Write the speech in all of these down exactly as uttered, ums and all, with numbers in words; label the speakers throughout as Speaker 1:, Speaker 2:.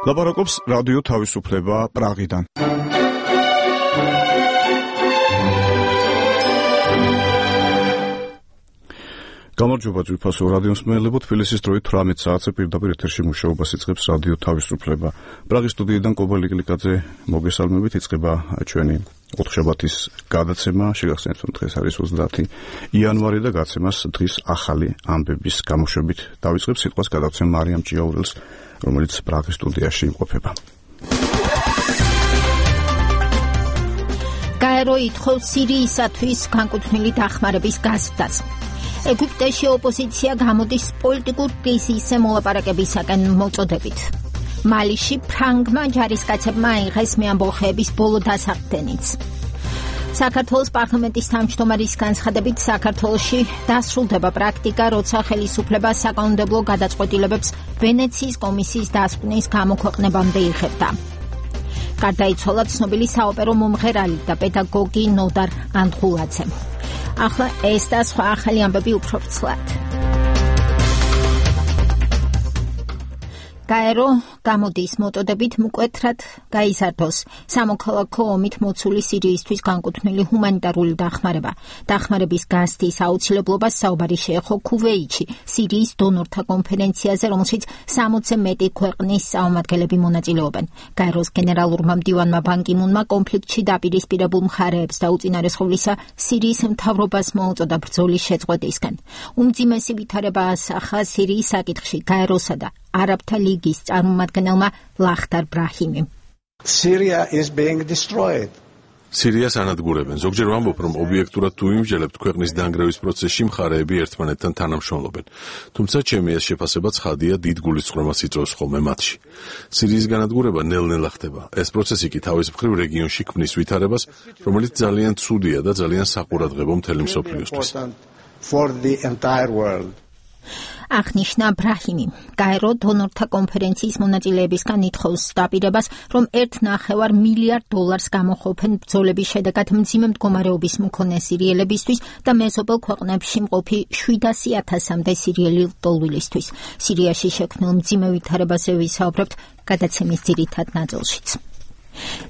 Speaker 1: ლაპარაკობს რადიო თავისუფლება პრაღიდან. გამარჯობა ძვირფასო რადიოს მსმენელებო, თბილისის დროით თვრამეტ საათზე პირდაპირ ეთერში მუშაობას იწყებს რადიო თავისუფლება. პრაღის სტუდიიდან კობალი გლიკაძე მოგესალმებით, იწყება ჩვენი ოთხშაბათის გადაცემა. შეგახსენებთ, რომ დღეს არის ოცდაათი იანვარი და გადაცემას დღის ახალი ამბების გამოშვებით დავიწყებს. სიტყვას გადავცემ მარიამ ჭიაურელს, რომელიც პრაღის სტუდიაში იმყოფება.
Speaker 2: გაერო ითხოვს სირიისათვის განკუთვნილი დახმარების გაზრდას. ეგვიპტეში ოპოზიცია გამოდის პოლიტიკურ კრიზისზე მოლაპარაკებისაკენ მოწოდებით. მალიში ფრანგმა ჯარისკაცებმა აიღეს მეამბოხეების ბოლო დასაყრდენიც. საქართველოს პარლამენტის თავმჯდომარის განცხადებით, საქართველოში დასრულდება პრაქტიკა, როცა ხელისუფლება საკანონმდებლო გადაწყვეტილებებს ვენეციის კომისიის დასკვნის გამოქვეყნებამდე იღებდა. გარდაიცვალა ცნობილი საოპერო მომღერალი და პედაგოგი ნოდარ ანდღულაძე. ახლა ეს და სხვა ახალი ამბები უფრო ვრცლად. გაერო გამოდის მოწოდებით მკვეთრად გაიზარდოს სამოქალაქო ომით მოცული სირიისთვის განკუთვნილი ჰუმანიტარული დახმარება. დახმარების გაზრდის აუცილებლობას საუბარი შეეხო ქუვეითში, სირიის დონორთა კონფერენციაზე, რომელშიც სამოცზე მეტი ქვეყნის წარმომადგენლები მონაწილეობენ. გაეროს გენერალურმა მდივანმა ბან კი მუნმა კონფლიქტში დაპირისპირებულ მხარეებს და უწინარესხულისა სირიის მთავრობას მოუწოდა ბრძოლის შეწყვეტისკენ. უმძიმესი ვითარება ასახა სირიის საკითხში გაეროსა და არაბთა ლიგის წარმომადგენელმა ლახტარ ბრაჰიმიმ.
Speaker 3: Syria is being destroyed.
Speaker 4: სირიას ანადგურებენ. ზოგჯერ ვამბობ, რომ ობიექტურად თუ იმჯელებთ, ქვეყნის დანგრევის პროცესში მხარეები ერთმანეთთან თანამშრომლობენ. თუმცა ჩემი ეს შეფასება ცხადია, დიდ გულისწყრომას იწვევს ხოლმე მათში. სირიის განადგურება ნელ-ნელა ხდება. ეს პროცესი კი თავის მხრივ რეგიონში ქმნის ვითარებას, რომელიც ძალიან ცუდია და ძალიან საყურადღებო მთელი მსოფლიოსთვის.
Speaker 3: For the entire world.
Speaker 2: აღნიშნა ბრაჰიმი. გაერო დონორთა კონფერენციის მონაწილეებისგან ითხოვს დაპირებას, რომ ერთ ნახევარ მილიარდ დოლარს გამოყოფენ ბრძოლების შედეგად მძიმე მდგომარეობის მქონე სირიელებისთვის და მეზობელ ქვეყნებში მყოფი შვიდასი ათასამდე სირიელი ლტოლვილისთვის. სირიაში შექმნილ მძიმე ვითარებაზე ვისაუბრებთ გადაცემის ძირითად ნაწილშიც.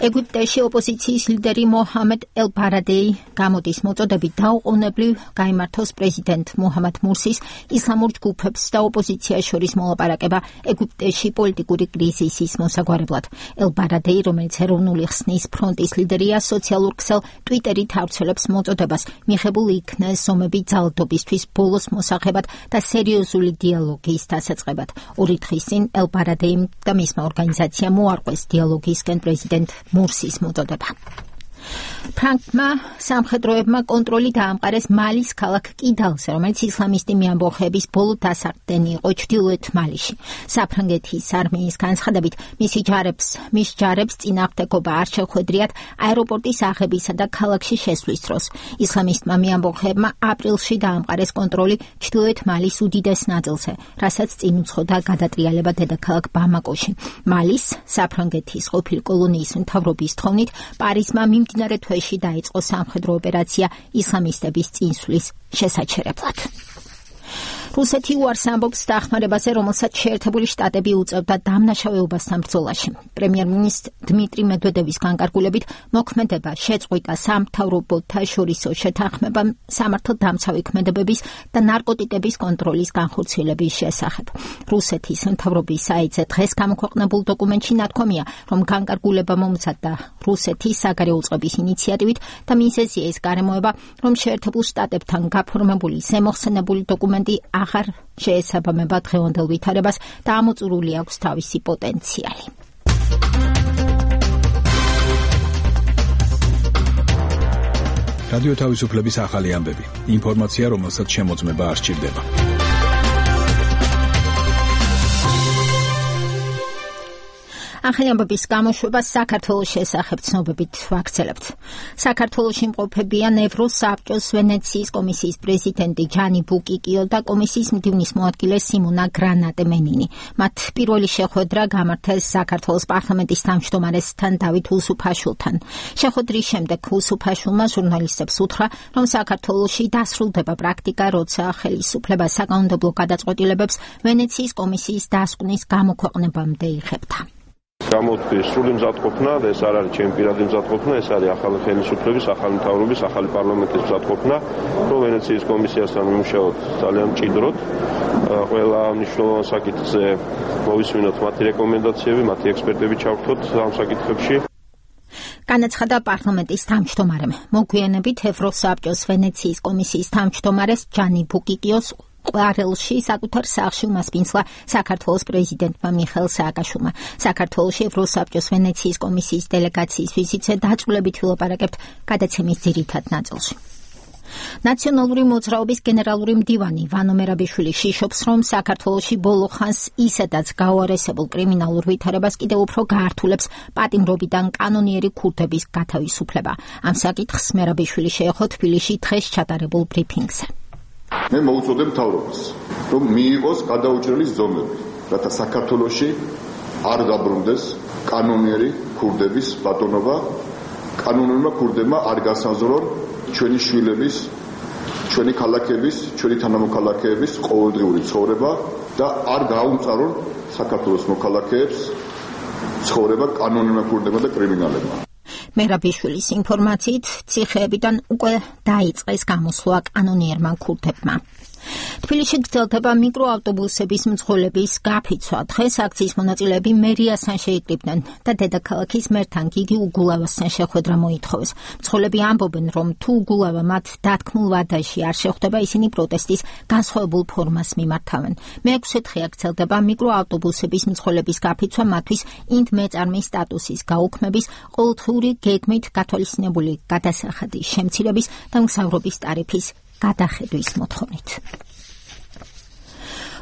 Speaker 2: ეგვიპტეში ოპოზიციის ლიდერი მოჰამედ ელ-ბარადეი გამოდის მოწოდებით დაუყოვნებლივ გაიმართოს პრეზიდენტ მუჰამად მურსის ისლამურ ჯგუფებს და ოპოზიციას შორის მოლაპარაკება ეგვიპტეში პოლიტიკური კრიზისის მოსაგვარებლად. ელ-ბარადეი, რომელიც ეროვნული ხსნის ფრონტის ლიდერია, სოციალურ ქსელ ტვიტერით ავრცელებს მოწოდებას მიღებულ იქნეს ზომები ძალადობისთვის ბოლოს მოსაღებად და სერიოზული დიალოგის დასაწყებად. ორი დღის წინ ელ-ბარადეიმ და მისმა ორგანიზაციამ მოარყვეს დიალოგისკენ პრეზიდენტ მურსის მოწოდება. ფრანგმა სამხედროებმა კონტროლი დაამყარეს მალის ქალაქ კიდალზე, რომელიც ისლამისტი მეამბოხეების ბოლო დასაყრდენი იყო ჩრდილოეთ მალიში. საფრანგეთის არმიის განცხადებით, მისი ჯარებს, მის ჯარებს წინააღმდეგობა არ შეხვედრიათ აეროპორტის აღებისა და ქალაქში შესვლის დროს. ისლამისტმა მეამბოხეებმა აპრილში დაამყარეს კონტროლი ჩრდილოეთ მალის უდიდეს ნაწილზე, რასაც წინ უძღოდა გადატრიალება დედაქალაქ ბამაკოში. მალის საფრანგეთის ყოფილი კოლონიის მთავრობის თხოვნით პარიზმა მიმდინარე თვეში დაიწყო სამხედრო ოპერაცია ისლამისტების წინსვლის შესაჩერებლად. რუსეთი უარს ამბობს დახმარებაზე, რომელსაც შეერთებული შტატები უწევდა დამნაშავეობასთან ბრძოლაში. პრემიერ-მინისტრ დმიტრი მედვედევის განკარგულებით მოქმედება შეწყვიტა სამთავრობოთა შორისო შეთანხმებამ სამართალდამცავი ქმედებების და ნარკოტიკების კონტროლის განხორციელების შესახებ. რუსეთის მთავრობის საიტზე დღეს გამოქვეყნებულ დოკუმენტში ნათქვამია, რომ განკარგულება მომზადდა რუსეთის საგარეო უწყების ინიციატივით და მიზეზია ის გარემოება, რომ შეერთებულ შტატებთან გაფორმებული ზემოხსენებული დოკუმენტი აღარ შეესაბამება დღევანდელ ვითარებას და ამოწურული აქვს თავისი პოტენციალი.
Speaker 5: რადიო თავისუფლების ახალი ამბები. ინფორმაცია, რომელსაც შემოწმება არ სჭირდება.
Speaker 2: ახალი ამბების გამოშვება საქართველოს შესახებ ცნობებით ვაქცელებთ. საქართველოში იმყოფებიან ევროსაბჭოს ვენეციის კომისიის პრეზიდენტი ჯანი ბუკიკიო და კომისიის მდივნის მოადგილე სიმონა გრანატე-მენინი. მათ პირველი შეხვედრა გამართეს საქართველოს პარლამენტის თავმჯდომარესთან დავით უსუფაშვილთან. შეხვედრის შემდეგ უსუფაშვილმა ჟურნალისტებს უთხრა, რომ საქართველოში დასრულდება პრაქტიკა, როცა ხელისუფლება საკანონმდებლო გადაწყვეტილებებს ვენეციის კომისიის დასკვნის გამოქვეყნებამდე იღებდა.
Speaker 6: გამოთქვი სრული მზადყოფნა და ეს არ არის ჩემი პირადი მზადყოფნა, ეს არის ახალი ხელისუფლების, ახალი მთავრობის, ახალი პარლამენტის მზადყოფნა, რომ ვენეციის კომისიასთან ვიმუშაოთ ძალიან მჭიდროდ, ყველა მნიშვნელოვან საკითხზე მოვისმინოთ მათი რეკომენდაციები, მათი ექსპერტები ჩავერთოთ ამ საკითხებში.
Speaker 2: განაცხადა პარლამენტის თავმჯდომარემ. მოგვიანებით ევროსაბჭოს ვენეციის კომისიის თავმჯდომარეს ჯანი ბუკიკიოს ყვარელში საკუთარ სახლში უმასპინძლა საქართველოს პრეზიდენტმა მიხეილ სააკაშვილმა. საქართველოში ევროსაბჭოს ვენეციის კომისიის დელეგაციის ვიზიტზე დაწვრილებით ვილაპარაკებთ გადაცემის ძირითად ნაწილში. ნაციონალური მოძრაობის გენერალური მდივანი ვანო მერაბიშვილი შიშობს, რომ საქართველოში ბოლო ხანს ისედაც გაუარესებულ კრიმინალურ ვითარებას კიდევ უფრო გაართულებს პატიმრობიდან კანონიერი ქურდების გათავისუფლება. ამ საკითხს მერაბიშვილი შეეხო თბილისში დღეს ჩატარებულ ბრიფინგზე.
Speaker 7: მე მოუწოდე მთავრობას, რომ მიიღოს გადაუჭრელი ზომები, რათა საქართველოში არ დაბრუნდეს კანონიერი ქურდების ბატონობა, კანონიერმა ქურდებმა არ გასაზრონ ჩვენი შვილების, ჩვენი ქალაქების, ჩვენი თანამოქალაქეების ყოველდღიური ცხოვრება და არ გააუმწარონ საქართველოს მოქალაქეებს ცხოვრება კანონიერმა ქურდებმა და კრიმინალებმა.
Speaker 2: მერაბიშვილის ინფორმაციით, ციხეებიდან უკვე დაიწყეს გამოსვლა კანონიერმა ქურდებმა. თბილისში გრძელდება მიკროავტობუსების მძღოლების გაფიცვა. დღეს აქციის მონაწილეები მერიასთან შეიკრიბნენ და დედაქალაქის მერთან გიგი უგულავასთან შეხვედრა მოითხოვეს. მძღოლები ამბობენ, რომ თუ უგულავა მათ დათქმულ ვადაში არ შეხვდება, ისინი პროტესტის განსხვავებულ ფორმას მიმართავენ. მეექვსე დღეა გრძელდება მიკროავტობუსების მძღოლების გაფიცვა მათთვის ინდ მეწარმის სტატუსის გაუქმების, ყოველდღიური გეგმით გათვალისწინებული გადასახადის შემცირების და მგზავრობის ტარიფის გადახედვის მოთხოვნით.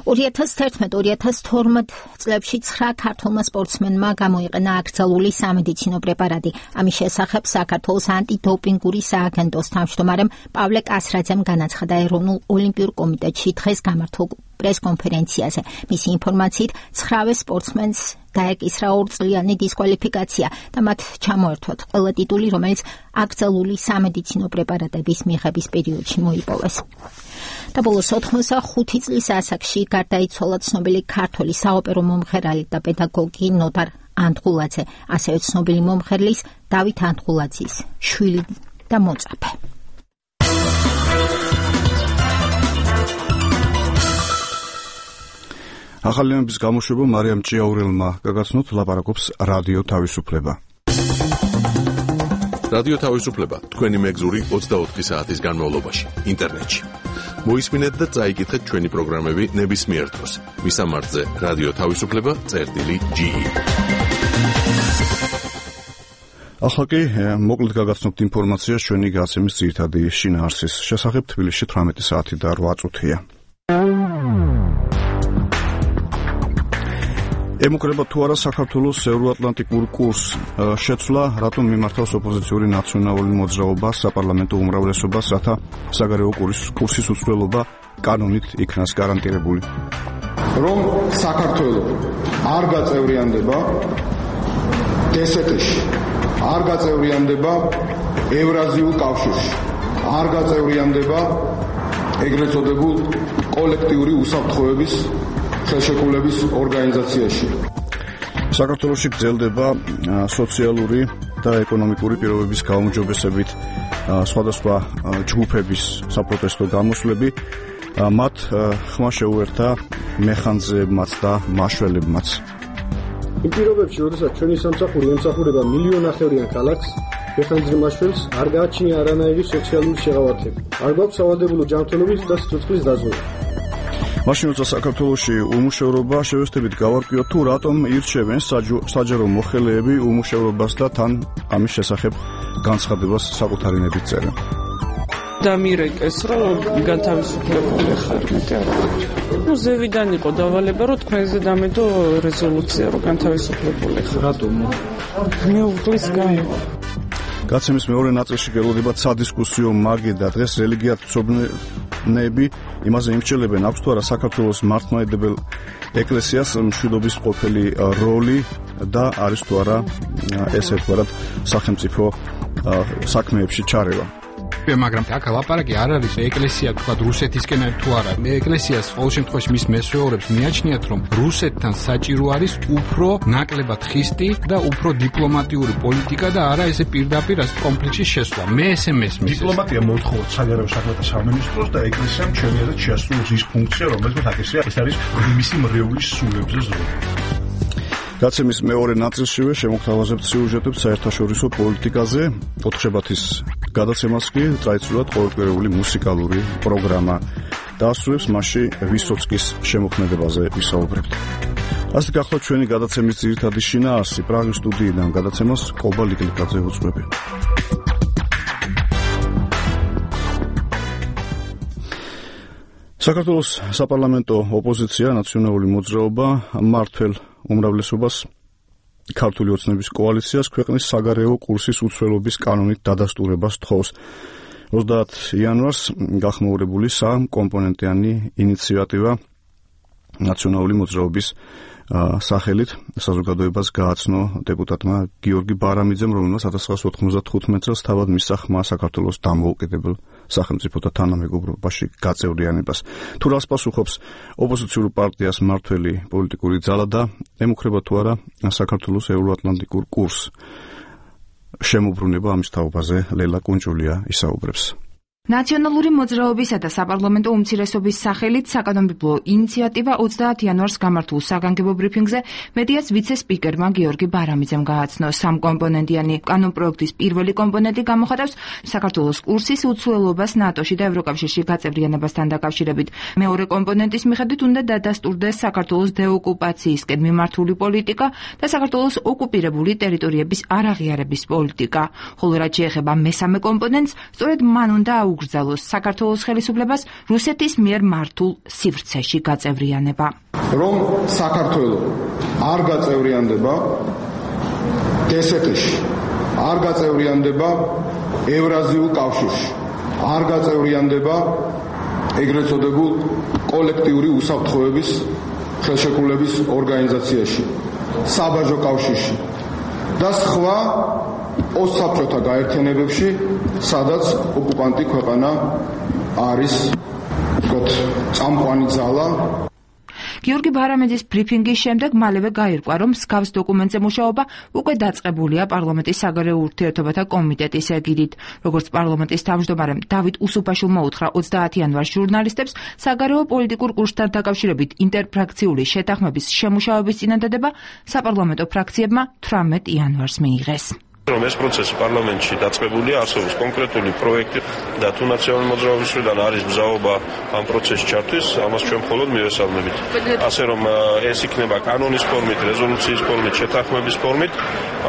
Speaker 2: ორი ათას თერთმეტ ორი ათას თორმეტ წლებში ცხრა ქართველმა სპორტსმენმა გამოიყენა აკრძალული სამედიცინო პრეპარატი. ამის შესახებ საქართველოს ანტიდოპინგური სააგენტოს თავმჯდომარემ პავლე კასრაძემ განაცხადა ეროვნულ ოლიმპიურ კომიტეტში დღეს გამართულ პრესკონფერენციაზე. მისი ინფორმაციით, ცხრავე სპორტსმენს დაეკისრა ორწლიანი დისკვალიფიკაცია და მათ ჩამოერთვათ ყველა ტიტული, რომელიც აკრძალული სამედიცინო პრეპარატების მიღების პერიოდში მოიპოვეს. და ბოლოს ოთხმოცდახუთი წლის ასაკში გარდაიცვალა ცნობილი ქართველი საოპერო მომღერალი და პედაგოგი ნოდარ ანდღულაძე, ასევე ცნობილი მომღერლის დავით ანდღულაძის შვილი და მოწაფე.
Speaker 1: ახალი ამბის გამოშვება მარიამ ჭიაურელმა გაგაცნოთ, ლაპარაკობს რადიო თავისუფლება.
Speaker 4: რადიო თავისუფლება თქვენი მეგზური ოცდაოთხი საათის განმავლობაში ინტერნეტში. მოისმინეთ და წაიკითხეთ ჩვენი პროგრამები ნებისმიერ დროს. მისამართზე რადიო თავისუფლება წერტილი ჯი.
Speaker 1: ახლა კი მოკლედ გაგაცნობთ ინფორმაციას ჩვენი გაცემის ძირითადი შინაარსის შესახებ. თბილისში თვრამეტი საათი და რვა წუთია. ემუქრება თუ არა საქართველოს ევროატლანტიკურ კურსს შეცვლა, რატომ მიმართავს ოპოზიციური ნაციონალური მოძრაობა საპარლამენტო უმრავლესობას, რათა საგარეო კურსის უცვლელობა კანონით იქნას გარანტირებული.
Speaker 7: რომ საქართველოს არ გაწევრიანდება დსთ-ში, არ გაწევრიანდება ევრაზიულ კავშირში, არ გაწევრიანდება ეგრეთ წოდებულ კოლექტიური უსაფრთხოების ხელშეკრულების ორგანიზაციაში.
Speaker 1: საქართველოში გრძელდება სოციალური და ეკონომიკური პირობების გაუმჯობესებით სხვადასხვა ჯგუფების საპროტესტო გამოსვლები. მათ ხმა შეუერთა მეხანძეებმაც და მაშველებმაც.
Speaker 8: იმ პირობებში, როდესაც ჩვენი სამსახური ემსახურება მილიონნახევრიან ქალაქს, მეხანძე მაშველს არ გააჩნია არანაირი სოციალური შეღავათები. არ გვაქვს სავალდებულო ჯანმრთელობის და სიცოცხლის დაზღვევა.
Speaker 1: მაშინ როცა საქართველოში უმუშევრობა შევესწრებით გავარკვიოთ, თუ რატომ ირჩევენ საჯარო მოხელეები უმუშევრობას და თან ამის შესახებ განცხადებას საკუთარი ნებით წერენ.
Speaker 9: დამირეკეს, რომ განთავისუფლებული ხარ. ნუ ზევიდან იყო დავალება, რომ თქვენზე დამედო რეზოლუცია, რომ განთავისუფლებული ხარ.
Speaker 8: რატომ?
Speaker 9: მეუღლის გამო.
Speaker 1: გაცემის მეორე ნაწილში გელოდება სადისკუსიო მაგიდა. დღეს რელიგიათმცოდნეები იმაზე იმსჯელებენ, აქვს თუ არა საქართველოს მართლმადიდებელ ეკლესიას მშვიდობის ყოფილი როლი და არის თუ არა ეს ერთგვარად სახელმწიფო საქმეებში ჩარევა.
Speaker 10: მაგრამ აქ ლაპარაკი არ არის ეკლესია თქვა რუსეთისკენ თუ არა. ეკლესიას ყოველ შემთხვევაში მის მესვეორებს მიაჩნიათ, რომ რუსეთთან საჭირო არის უფრო ნაკლებად ხისტი და უფრო დიპლომატიური პოლიტიკა და არა ესე პირდაპირ ეს კონფლიქტში შესვლა. მე ესე მესმის.
Speaker 11: დიპლომატია მოთხოვს საგარეო საქმეთა სამინისტროს და ეკლესიამ ჩემიადად შეასრულოს ის ფუნქცია, რომელსაც აკეთებს. ეს არის მისი მრევლის სულებზე ზრუნვა.
Speaker 1: გაცემის მეორე ნაწილშივე შემოგთავაზებთ სიუჟეტებს საერთაშორისო პოლიტიკაზე. ოთხშაბათის გადაცემას კი ტრადიციულად ყოველკვირეული მუსიკალური პროგრამა დაასრულებს, მასში ვისოცკის შემოქმედებაზე ვისაუბრებთ. ასე გახლავთ ჩვენი გადაცემის ძირითადი შინაარსი. პრაღის სტუდიიდან გადაცემას კობა ლიკლიკაძე უძღვები. საქართველოს საპარლამენტო ოპოზიცია, ნაციონალური მოძრაობა, მმართველ უმრავლესობას ქართული ოცნების კოალიციას ქვეყნის საგარეო კურსის უცვლელობის კანონით დადასტურებას თხოვს. ოცდაათ იანვარს გახმოურებული სამკომპონენტიანი ინიციატივა ნაციონალური მოძრაობის სახელით საზოგადოებას გააცნო დეპუტატმა გიორგი ბარამიძემ, რომელმაც ათას ცხრაასი ოთხმოცდათხუთმეტ წელს თავად მისცა ხმა საქართველოს დამოუკიდებელ სახელმწიფოთა თანამეგობრობაში გაწევრიანებას. თუ რას პასუხობს ოპოზიციურ პარტიას მმართველი პოლიტიკური ძალა და ემუქრება თუ არა საქართველოს ევროატლანტიკურ კურსს? შემოbrunება ამის თაობაზე ლელა კუნჭულია ისაუბრებს.
Speaker 12: ნაციონალური მოძრაობისა და საპარლამენტო უმცირესობის სახელით საკანონმდებლო ინიციატივა ოცდაათ იანვარს გამართულ საგანგებო ბრიფინგზე მედიას ვიცე-სპიკერმა გიორგი ბარამიძემ გააცნო. სამკომპონენტიანი კანონპროექტის პირველი კომპონენტი გამოხატავს საქართველოს კურსის უცვლელობას ნატოში და ევროკავშირში გაწევრიანებასთან დაკავშირებით. მეორე კომპონენტის მიხედვით უნდა დადასტურდეს საქართველოს დეოკუპაციისკენ მიმართული პოლიტიკა და საქართველოს ოკუპირებული ტერიტორიების არაღიარების პოლიტიკა. ხოლო რაც შეეხება მესამე კომპონენტს, სწორედ მან უნდა ugრძელოს საქართველოს ხელისუფლებას რუსეთის მიერ მართულ სივრცეში გაწევრიანება.
Speaker 7: რომ საქართველო არ გაწევრიანდება დსთ-ში, არ გაწევრიანდება ევრაზიულ კავშირში, არ გაწევრიანდება ეგრეთ წოდებულ კოლექტიური უსაფრთხოების ხელშეკრულების ორგანიზაციაში, საბაჟო კავშირში და სხვა ოსაბჭოთა გაერთიანებებში, სადაც ოკუპანტი ქვეყანა არის, ვთქვათ, წამყვანი ძალა.
Speaker 12: გიორგი ბარამიძის ბრიფინგის შემდეგ მალევე გაირკვა, რომ მსგავს დოკუმენტზე მუშაობა უკვე დაწყებულია პარლამენტის საგარეო ურთიერთობათა კომიტეტის ეგიდით. როგორც პარლამენტის თავმჯდომარემ დავით უსუფაშვილმა უთხრა ოცდაათ იანვარს ჟურნალისტებს, საგარეო პოლიტიკურ კურსთან დაკავშირებით ინტერფრაქციული შეთანხმების შემუშავების წინადადება საპარლამენტო ფრაქციებმა თვრამეტ იანვარს მიიღეს.
Speaker 6: რომ ეს პროცესი პარლამენტში დაწყებულია, არსებობს კონკრეტული პროექტი და თუ ნაციონალური მოძრაობის მხრიდან არის ბრძაობა ამ პროცესში ჩართვის, ამას ჩვენ მხოლოდ მივესალმებით. ასე რომ ეს იქნება კანონის ფორმით, რეზოლუციის ფორმით, შეთანხმების ფორმით,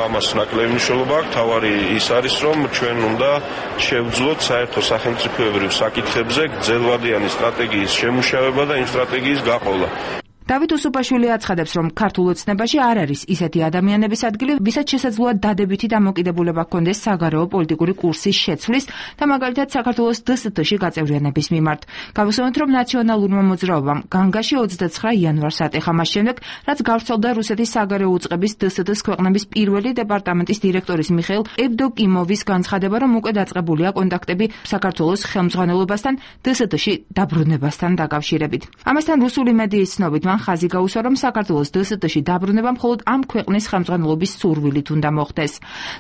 Speaker 6: ამას ნაკლები მნიშვნელობა აქვს. თავარი ის არის, რომ ჩვენ უნდა შევძლოთ საერთო სახელმწიფოებრივ საკითხებზე გრძელვადიანი სტრატეგიის შემუშავება და იმ სტრატეგიის გაყოლა.
Speaker 12: დავით უსუფაშვილი აცხადებს, რომ ქართულ ოცნებაში არ არის ისეთი ადამიანების ადგილი, ვისაც შესაძლოა დადებითი დამოკიდებულება ჰქონდეს საგარეო პოლიტიკური კურსის შეცვლის და მაგალითად საქართველოს დსთ-ში გაწევრიანების მიმართ. გავუსვენოთ, რომ ნაციონალურმა მოძრაობამ განგაში ოცდაცხრა იანვარს ატეხა მას შემდეგ, რაც გავრცელდა რუსეთის საგარეო უწყების დსთ-ს ქვეყნების პირველი დეპარტამენტის დირექტორის მიხეილ ევდოკიმოვის განცხადება, რომ უკვე დაწყებულია კონტაქტები საქართველოს ხელმძღვანელობასთან დსთ-ში დაბრუნებასთან დაკავშირებით. ამასთან რუსული მედიის ცნობით ხაზი გაუსვა, რომ საქართველოს დსთ-ში დაბრუნება მხოლოდ ამ ქვეყნის ხელმძღვანელობის სურვილით უნდა მოხდეს.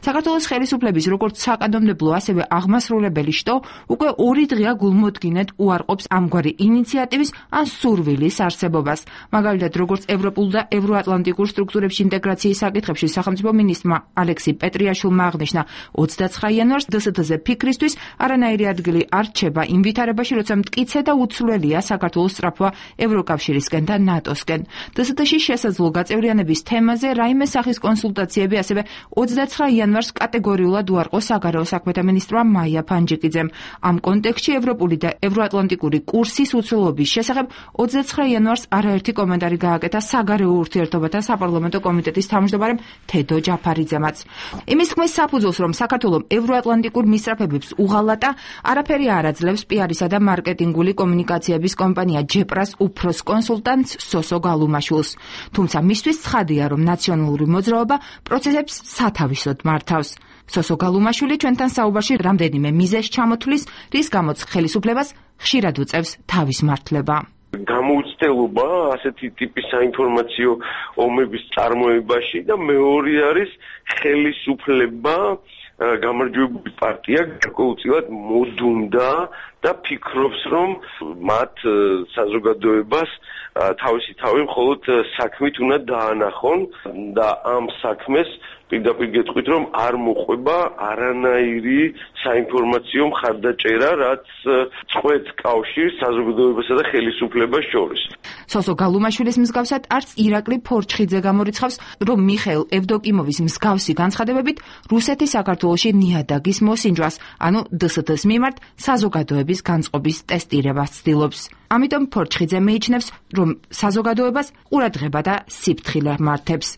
Speaker 12: საქართველოს ხელისუფლების როგორც საკანონმდებლო, ასევე აღმასრულებელი შტო უკვე ორი დღეა გულმოდგინედ უარყოფს ამგვარი ინიციატივის ან სურვილის არსებობას. მაგალითად, როგორც ევროპულ და ევროატლანტიკურ სტრუქტურებში ინტეგრაციის საკითხებში სახელმწიფო მინისტრმა ალექსი პეტრიაშვილმა აღნიშნა, ოცდაცხრა იანვარს დსთ-ზე ფიქრისთვის არანაირი ადგილი არ რჩება იმ ვითარებაში, როცა მტკიცე და უცვლელია საქართველოს სწრაფვა ევროკავშირისკენ და ნატოსკენ. დსთ-ში შესაძლო გაწევრიანების თემაზე რაიმე სახის კონსულტაციები ასევე ოცდაცხრა იანვარს კატეგორიულად უარყო საგარეო საქმეთა მინისტრმა მაია ფანჯიკიძემ. ამ კონტექსტში ევროპული და ევროატლანტიკური კურსის უცვლელობის შესახებ ოცდაცხრა იანვარს არაერთი კომენტარი გააკეთა საგარეო ურთიერთობათა საპარლამენტო კომიტეტის თავმჯდომარემ თედო ჯაფარიძემაც. იმის ხმის საფუძველს, რომ საქართველოს ევროატლანტიკურ მისწრაფებებს უღალატა, არაფერი არ აძლევს პიარისა და მარკეტინგული კომუნიკაციების კომპანია ჯეპრას უფროს კონსულტანტს სოსო გალუმაშვილს. თუმცა მისთვის ცხადია, რომ ნაციონალური მოძრაობა პროცესებს სათავისოდ მართავს. სოსო გალუმაშვილი ჩვენთან საუბარში რამდენიმე მიზეზს ჩამოთვლის, რის გამოც ხელისუფლებას ხშირად უწევს თავის მართლება.
Speaker 13: გამოუცდელობა ასეთი ტიპის საინფორმაციო ომების წარმოებაში და მეორე არის ხელისუფლება გამარჯვებული პარტია გარკვეულწილად მოდუნდა და ფიქრობს, რომ მათ საზოგადოებას თავისი თავი მხოლოდ საქმით უნდა დაანახონ და ამ საქმეს პირდაპირ გეტყვით, რომ არ მოყვება არანაირი საინფორმაციო მხარდაჭერა, რაც წყვეტს კავშირს საზოგადოებასა და ხელისუფლებას შორის.
Speaker 12: სოსო გალუმაშვილის მსგავსად არც ირაკლი ფორჩხიძე გამორიცხავს, რომ მიხეილ ევდოკიმოვის მსგავსი განცხადებებით რუსეთი საქართველოში ნიადაგის მოსინჯვას, ანუ დე ეს დე-ს მიმართ საზოგადოების განწყობის ტესტირებას ცდილობს. ამიტომ ფორჩხიძე მიიჩნევს, რომ საზოგადოებას ყურადღება და სიფრთხილე მართებს.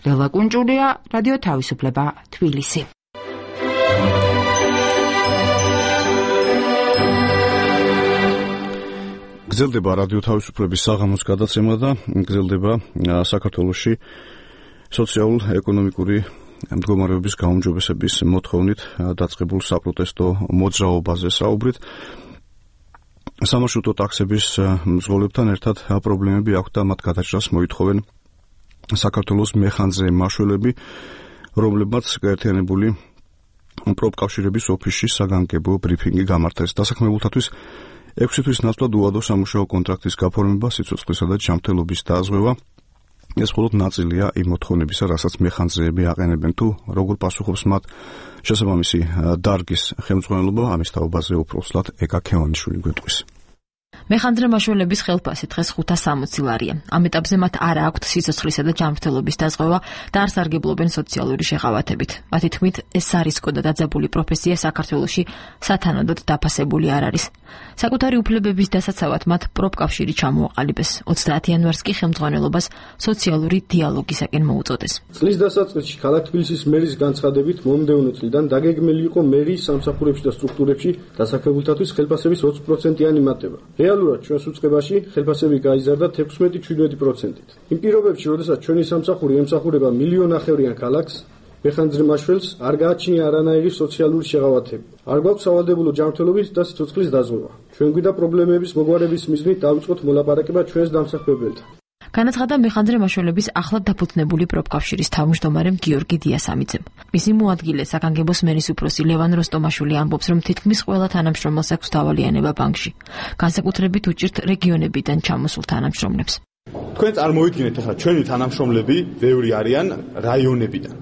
Speaker 12: ლელა კუნჭულია, რადიო თავისუფლება, თბილისი.
Speaker 1: გრძელდება რადიო თავისუფლების საღამოს გადაცემა და გრძელდება საქართველოში სოციალურ-ეკონომიკური მდგომარეობის გაუმჯობესების მოთხოვნით დაწყებულ საპროტესტო მოძრაობაზე საუბრით. სამარშრუტო ტაქსების მძღოლებთან ერთად პრობლემები აქვს და მათ გადაჭრას მოითხოვენ საქართველოს მეხანძრე მაშველები, რომლებმაც გაერთიანებული პროფკავშირების ოფისში საგანგებო ბრიფინგი გამართეს. დასაქმებულთათვის ექვსი თვის ნაცვლად უადო სამუშაო კონტრაქტის გაფორმება, სიცოცხლისა და ჯანმრთელობის დაზღვევა. ეს მხოლოდ ნაწილია იმ მოთხოვნებისა, რასაც მეხანძრეები აყენებენ, თუ როგორ პასუხობს მათ შესაბამისი დარგის ხელმძღვანელობა. ამის თაობაზე უფრო სვლად ეკა ქევანიშვილი გვეტყვის.
Speaker 14: მეხანძრე მაშველების ხელფასი დღეს ხუთას სამოცი ლარია. ამ ეტაპზე მათ არ აქვთ სიცოცხლისა და ჯანმრთელობის დაზღვევა და არ სარგებლობენ სოციალური შეღავათებით. მათი თქმით, ეს სარისკო და დაძაბული პროფესია საქართველოში სათანადოდ დაფასებული არ არის. საკუთარი უფლებების დასაცავად მათ პროფკავშირი ჩამოაყალიბეს. ოცდაათი იანვარს კი ხელმძღვანელობას სოციალური დიალოგისაკენ მოუწოდეს.
Speaker 8: წლის დასაწყისში ქალაქ თბილისის მერის განცხადებით მომდევნო წლიდან დაგეგმილი იყო მერის სამსახურებში და სტრუქტურებში დასაქმებულთათვის ხელფასების ოცი პროცენტიანი მატება. რეალურად ჩვენს უწყებაში ხელფასები გაიზარდა თექვსმეტი - შვიდმეტი პროცენტით. იმ პირობებში, როდესაც ჩვენი სამსახური ემსახურება მილიონნახევრიან ქალაქს, მეხანძრე მაშველს არ გააჩნია არანაირი სოციალური შეღავათები. არ გვაქვს სავალდებულო ჯანმრთელობის და სიცოცხლის დაზღვევა. ჩვენ გვიდა პრობლემების მოგვარების მიზნით დავიწყოთ მოლაპარაკება ჩვენს დამსახურებელთან.
Speaker 14: განაცხადა მეხანძრე მაშველების ახლად დაფუძნებული პროფკავშირის თავმჯდომარემ გიორგი დიასამიძემ. მისი მოადგილე საგანგებოს მერის უფროსი ლევან როსტომაშვილი ამბობს, რომ თითქმის ყველა თანამშრომელს აქვს დავალიანება ბანკში. განსაკუთრებით უჭირთ რეგიონებიდან ჩამოსულ თანამშრომლებს.
Speaker 15: თქვენ წარმოიდგინეთ, ახლა ჩვენი თანამშრომლები ბევრი არიან რაიონებიდან.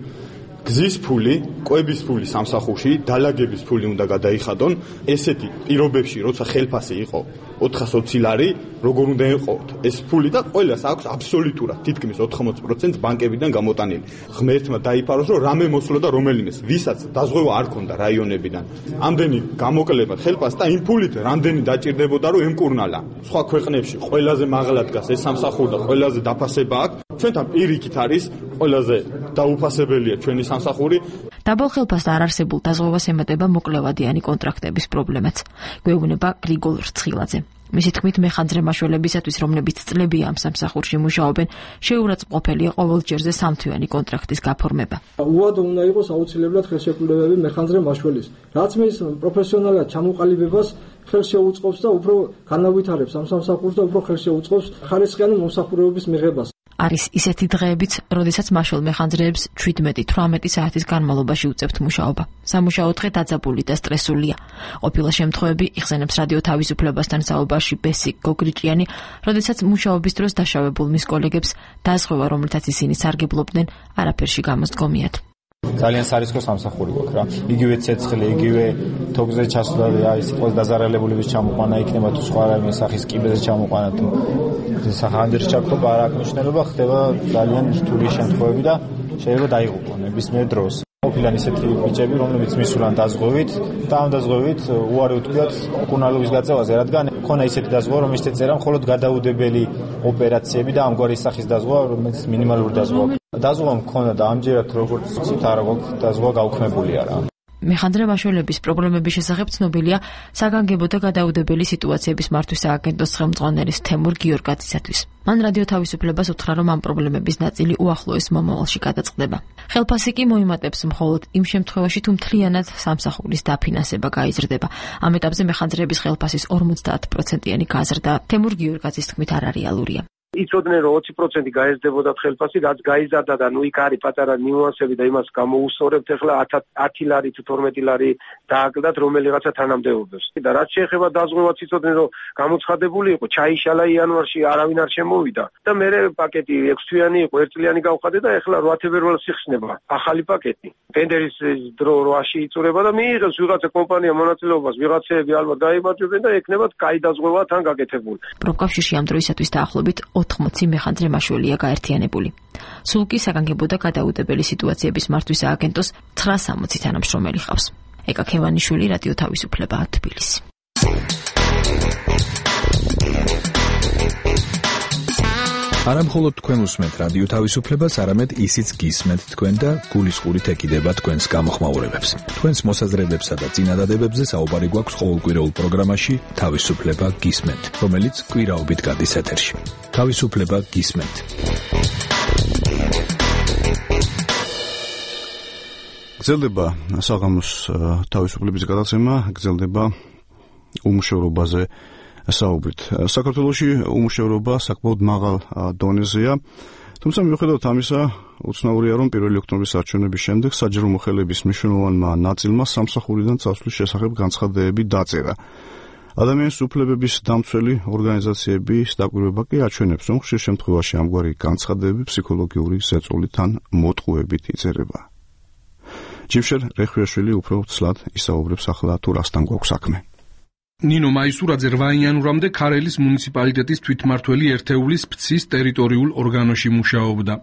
Speaker 15: გზის ფული, კვების ფული სამსახურში, დალაგების ფული უნდა გადაიხადონ. ესეთი პირობებში, როცა ხელფასი იყო ოთხას ოცი ლარი, როგორ უნდა ეყოთ ეს ფული და ყველას აქვს აბსოლუტურად თითქმის ოთხმოცი პროცენტი ბანკებიდან გამოტანილი. ღმერთმა დაიფაროს, რომ რამე მოსულა და რომელიმეს, ვისაც დაზღვევა არ ქონდა რაიონებიდან. ამდენი გამოკლებად ხელფასს და იმ ფულით რამდენი დაჭირდებოდა, რომ ემკურნალა. სხვა ქვეყნებში ყველაზე მაღლა დგას ეს სამსახური და ყველაზე დაფასება აქვს. ჩვენთან პირიქით არის ყველაზე დაუფასებელია ჩვენი სამსახური.
Speaker 14: დაბალ ხელფასთან არ არსებულ დაზღვევას ემატება მოკლევადიანი კონტრაქტების პრობლემაც. გვეუბნება გრიგოლ რცხილაძე. მისი თქმით, მეხანძრე მაშველებისათვის, რომლებიც წლებია ამ სამსახურში მუშაობენ, შეურაცხმყოფელია ყოველჯერზე სამთვიანი კონტრაქტის გაფორმება.
Speaker 8: უადო უნდა იყოს აუცილებლად ხელშეკრულებები მეხანძრე მაშველის, რაც მის პროფესიონალად ჩამოყალიბებას ხელს შეუწყობს და უფრო განავითარებს ამ სამსახურს და უფრო ხელს შეუწყობს ხარისხიანი მომსახურებების მიღებას.
Speaker 14: არის ისეთი დღეებიც, როდესაც მაშვალ მეხანძრეებს შვიდმეტი თვრამეტი საათის განმავლობაში უწევთ მუშაობა. სამუშაო დღე დაძაბული და სტრესულია. ყოფილა შემთხვევები იხსენებს რადიო თავისუფლებასთან საუბარში ბესი გოგრიჭიანი, როდესაც მუშაობის დროს დაშავებულ მის კოლეგებს დაზღვევა, რომელთაც ისინი სარგებლობდნენ, არაფერში გამოსდგომიათ.
Speaker 16: ძალიან სარისკო სამსახური გვაქვს რა. იგივე ცეცხლი, იგივე თოგზე ჩასვლა, აი სიტყვის დაზარალებულების ჩამოყვანა იქნება თუ სხვა რაიმე სახის კიბეზე ჩამოყვანა თუ სახანძრის ჩაქრობა არ აქვს მნიშვნელობა, ხდება ძალიან რთული შემთხვევები და შეიძლება დაიღუპონ ნებისმიერ დროს. ყოფილან ისეთი ბიჭები, რომლებიც მისულან დაზღვევით და ამ დაზღვევით უარი უთქვიათ მკურნალობის გაწევაზე, რადგან ქონა ისეთი დაზღვევა, რომელიც ეწერა მხოლოდ გადაუდებელი ოპერაციები და ამგვარი სახის დაზღვევა, რომელიც მინიმალური დაზღვევა. დაზღვევა მქონდა და ამჯერად როგორც ცით არ გვაქვს დაზღვევა გაუქმებული არა.
Speaker 14: მეხანდრე მაშველების პრობლემების შესახებ ცნობილია საგანგებო და გადაუდებელი სიტუაციების მართვის სააგენტოს ხელმძღვანელის თემურ გიორგაძისათვის. მან რადიო თავისუფლებას უთხრა, რომ ამ პრობლემების ნაწილი უახლოეს მომავალში გადაწყდება. ხელფასი კი მოიმატებს მხოლოდ იმ შემთხვევაში, თუ მთლიანად სამსახურის დაფინანსება გაიზრდება. ამ ეტაპზე მეხანძრეების ხელფასის ორმოცდაათ პროცენტიანი გაზრდა თემურ გიორგაძის თქმით არ რეალურია.
Speaker 17: იცოდნენ რომ ოცი პროცენტი გაეზრდებოდა ხელფასი, რაც გაიზარდა და ნუ იქ არის პატარა ნიუანსები და იმას გამოუსწორებთ. ახლა ათი ლარი თუ თორმეტი ლარი დააკლდათ რომელიღაცა თანამდებობებს. და რაც შეეხება დაზღვევაც იცოდნენ რომ გამოცხადებული იყო, ჩაიშალა იანვარში არავინ არ შემოვიდა და მე პაკეტი ექვსთვიანი იყო, ერთწლიანი გავხადე და ახლა რვა თებერვალს იხსნება ახალი პაკეტი. ტენდერის დრო რვაში იწურება და მიიღებს ვიღაცა კომპანია მონაწილეობას, ვიღაცები ალბათ გაიმარჯვებენ და ეკნებათ კაი დაზღვევა თან გაკეთებული.
Speaker 14: პროფკავშირში ამ დროისათვის დაახლოებით ოთხმოცი მეხანძრე მაშველია გაერთიანებული. სულ კი საგანგებო და გადაუდებელი სიტუაციების მართვის სააგენტოს ცხრასამოცი თანამშრომელი ჰყავს. ეკა ქევანიშვილი, რადიო თავისუფლება, თბილისი.
Speaker 5: არა მხოლოდ თქვენ უსმენთ რადიო თავისუფლებას, არამედ ისიც გისმენთ თქვენ და გულისყურით ეკიდება თქვენს გამოხმაურებებს. თქვენს მოსაზრებებსა და წინადადებებზე საუბარი გვაქვს ყოველკვირეულ პროგრამაში თავისუფლება გისმენთ, რომელიც კვირაობით გადის ეთერში. თავისუფლება გისმენთ.
Speaker 1: გრძელდება საღამოს თავისუფლების გადაცემა, გრძელდება უმუშევრობაზე საუბრით. საქართველოში უმუშევრობა საკმაოდ მაღალ დონეზეა, თუმცა მიუხედავად ამისა, უცნაურია, რომ პირველი ოქტომბრის არჩევნების შემდეგ საჯარო მოხელეების მნიშვნელოვანმა ნაწილმა სამსახურიდან წასვლის შესახებ განცხადებები დაწერა. ადამიანის უფლებების დამცველი ორგანიზაციების დაკვირვება კი აჩვენებს, რომ ხშირ შემთხვევაში ამგვარი განცხადებები ფსიქოლოგიური ზეწოლით ან მოტყუებით იწერება. ჯიმშერ რეხვიაშვილი უფრო ცლად ისაუბრებს ახლა თუ რასთან გვაქვს საქმე.
Speaker 18: ნინო მაისურაძე რვა იანვრამდე ქარელის მუნიციპალიტეტის თვითმმართველი ერთეულის ფცის ტერიტორიულ ორგანოში მუშაობდა.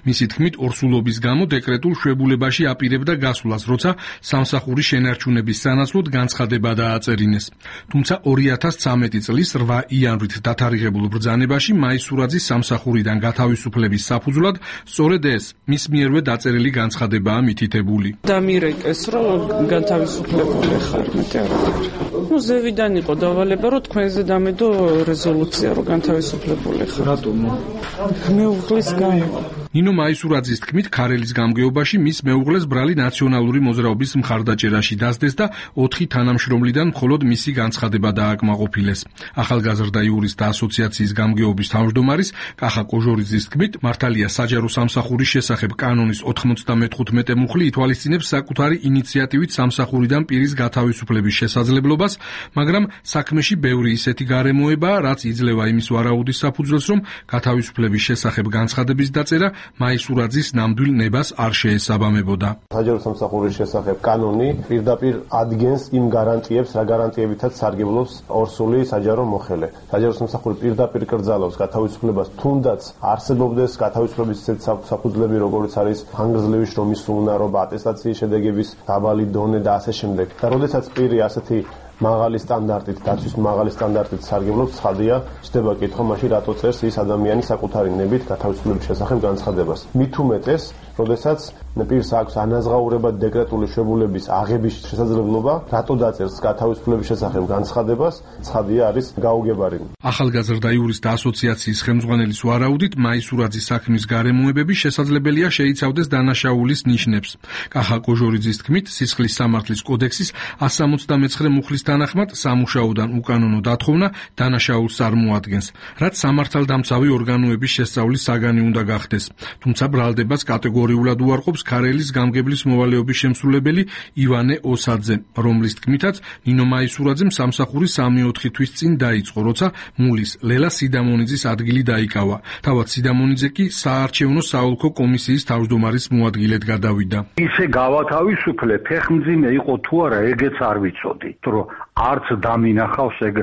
Speaker 18: მისი თქმით, ორსულობის გამო დეკრეტულ შვებულებაში აპირებდა გასვლას, როცა სამსახურის შენარჩუნების სანაცვლოდ განცხადება დააწერინეს. თუმცა ორი ათას ცხრამეტი წლის რვა იანვრით დათარიღებულ ბრძანებაში მაისურაძის სამსახურიდან გათავისუფლების საფუძვლად სწორედ ეს მის მიერვე დაწერილი განცხადებაა მითითებული.
Speaker 9: დამირეკეს, რომ გათავისუფლებული ხარ, მეტი არ არის. ნუ ზევიდან იყო დავალება, რომ თქვენზე დამედო რეზოლუცია, რომ განთავისუფლებული ხარ.
Speaker 8: რატომ?
Speaker 9: მეუღლის გამო.
Speaker 18: ნინო მაისურაძის თქმით, ქარელის გამგეობაში მის მეუღლეს ბრალი ნაციონალური მოძრაობის მხარდაჭერაში დასდეს და ოთხი თანამშრომლიდან მხოლოდ მისი განცხადება დააკმაყოფილეს. ახალგაზრდა იურისტთა ასოციაციის გამგეობის თავმჯდომარის კახა კოჟორიძის თქმით, მართალია საჯარო სამსახურის შესახებ კანონის ოთხმოცდამეთხუთმეტე მუხლი ითვალისწინებს საკუთარი ინიციატივით სამსახურიდან პირის გათავისუფლების შესაძლებლობას, მაგრამ საქმეში ბევრი ისეთი გარემოებაა, რაც იძლევა იმის ვარაუდის საფუძველს, რომ გათავისუფლების შესახებ განცხადების დაწერა მაისურაძის ნამდვილ ნებას არ შეესაბამებოდა.
Speaker 19: საჯარო სამსახურის შესახებ კანონი პირდაპირ ადგენს იმ გარანტიებს, რა გარანტიებითაც სარგებლობს ორსული საჯარო მოხელე. საჯარო სამსახური პირდაპირ კრძალავს გათავისუფლებას, თუნდაც არსებობდეს გათავისუფლების ისეთ საფუძვლები, როგორც არის ხანგრძლივი შრომის უნარობა, ატესტაციის შედეგების დაბალი დონე და ასე შემდეგ. და როდესაც პირი ასეთი მაღალი სტანდარტით, დაცვის მაღალი სტანდარტით სარგებლობს, ცხადია, ჩდება კითხვა მაშინ რატო წერს ის ადამიანი საკუთარი ნებით გათავისუფლების შესახებ განცხადებას. მით უმეტეს, როდესაც პირს აქვს ანაზღაურებად დეკრეტული შვებულების აღების შესაძლებლობა, რატო დაწერს გათავისუფლების შესახებ განცხადებას, ცხადია არის გაუგებარი.
Speaker 18: ახალგაზრდა იურისტთა ასოციაციის ხელმძღვანელის ვარაუდით, მაისურაძის საქმის გარემოებები შესაძლებელია შეიცავდეს დანაშაულის ნიშნებს. კახა კოჟორიძის თქმით, სისხლის სამართლის კოდექსის εκατს სამოცდამეცხრე მუხლის თანახმად სამუშაოდან უკანონო დათხოვნა დანაშაულს არ მოადგენს, რაც სამართალდამცავი ორგანოების შესწავლის საგანი უნდა გახდეს. თუმცა ბრალდებას კატეგორიულად უარყოფს ქარელის გამგებლის მოვალეობის შემსრულებელი ივანე ოსაძე, რომლის თქმითაც ნინო მაისურაძემ სამსახური სამი-ოთხი თვის წინ დაიწყო, როცა მულის ლელა სიდამონიძის ადგილი დაიკავა. თავად სიდამონიძე კი საარჩევნო საოლქო კომისიის თავმჯდომარის მოადგილედ გადავიდა.
Speaker 20: ისე გავათავისუფლე, ფეხმძიმე იყო თუ არა, ეგეც არ ვიცოდი, რომ არც დამინახავს ეგ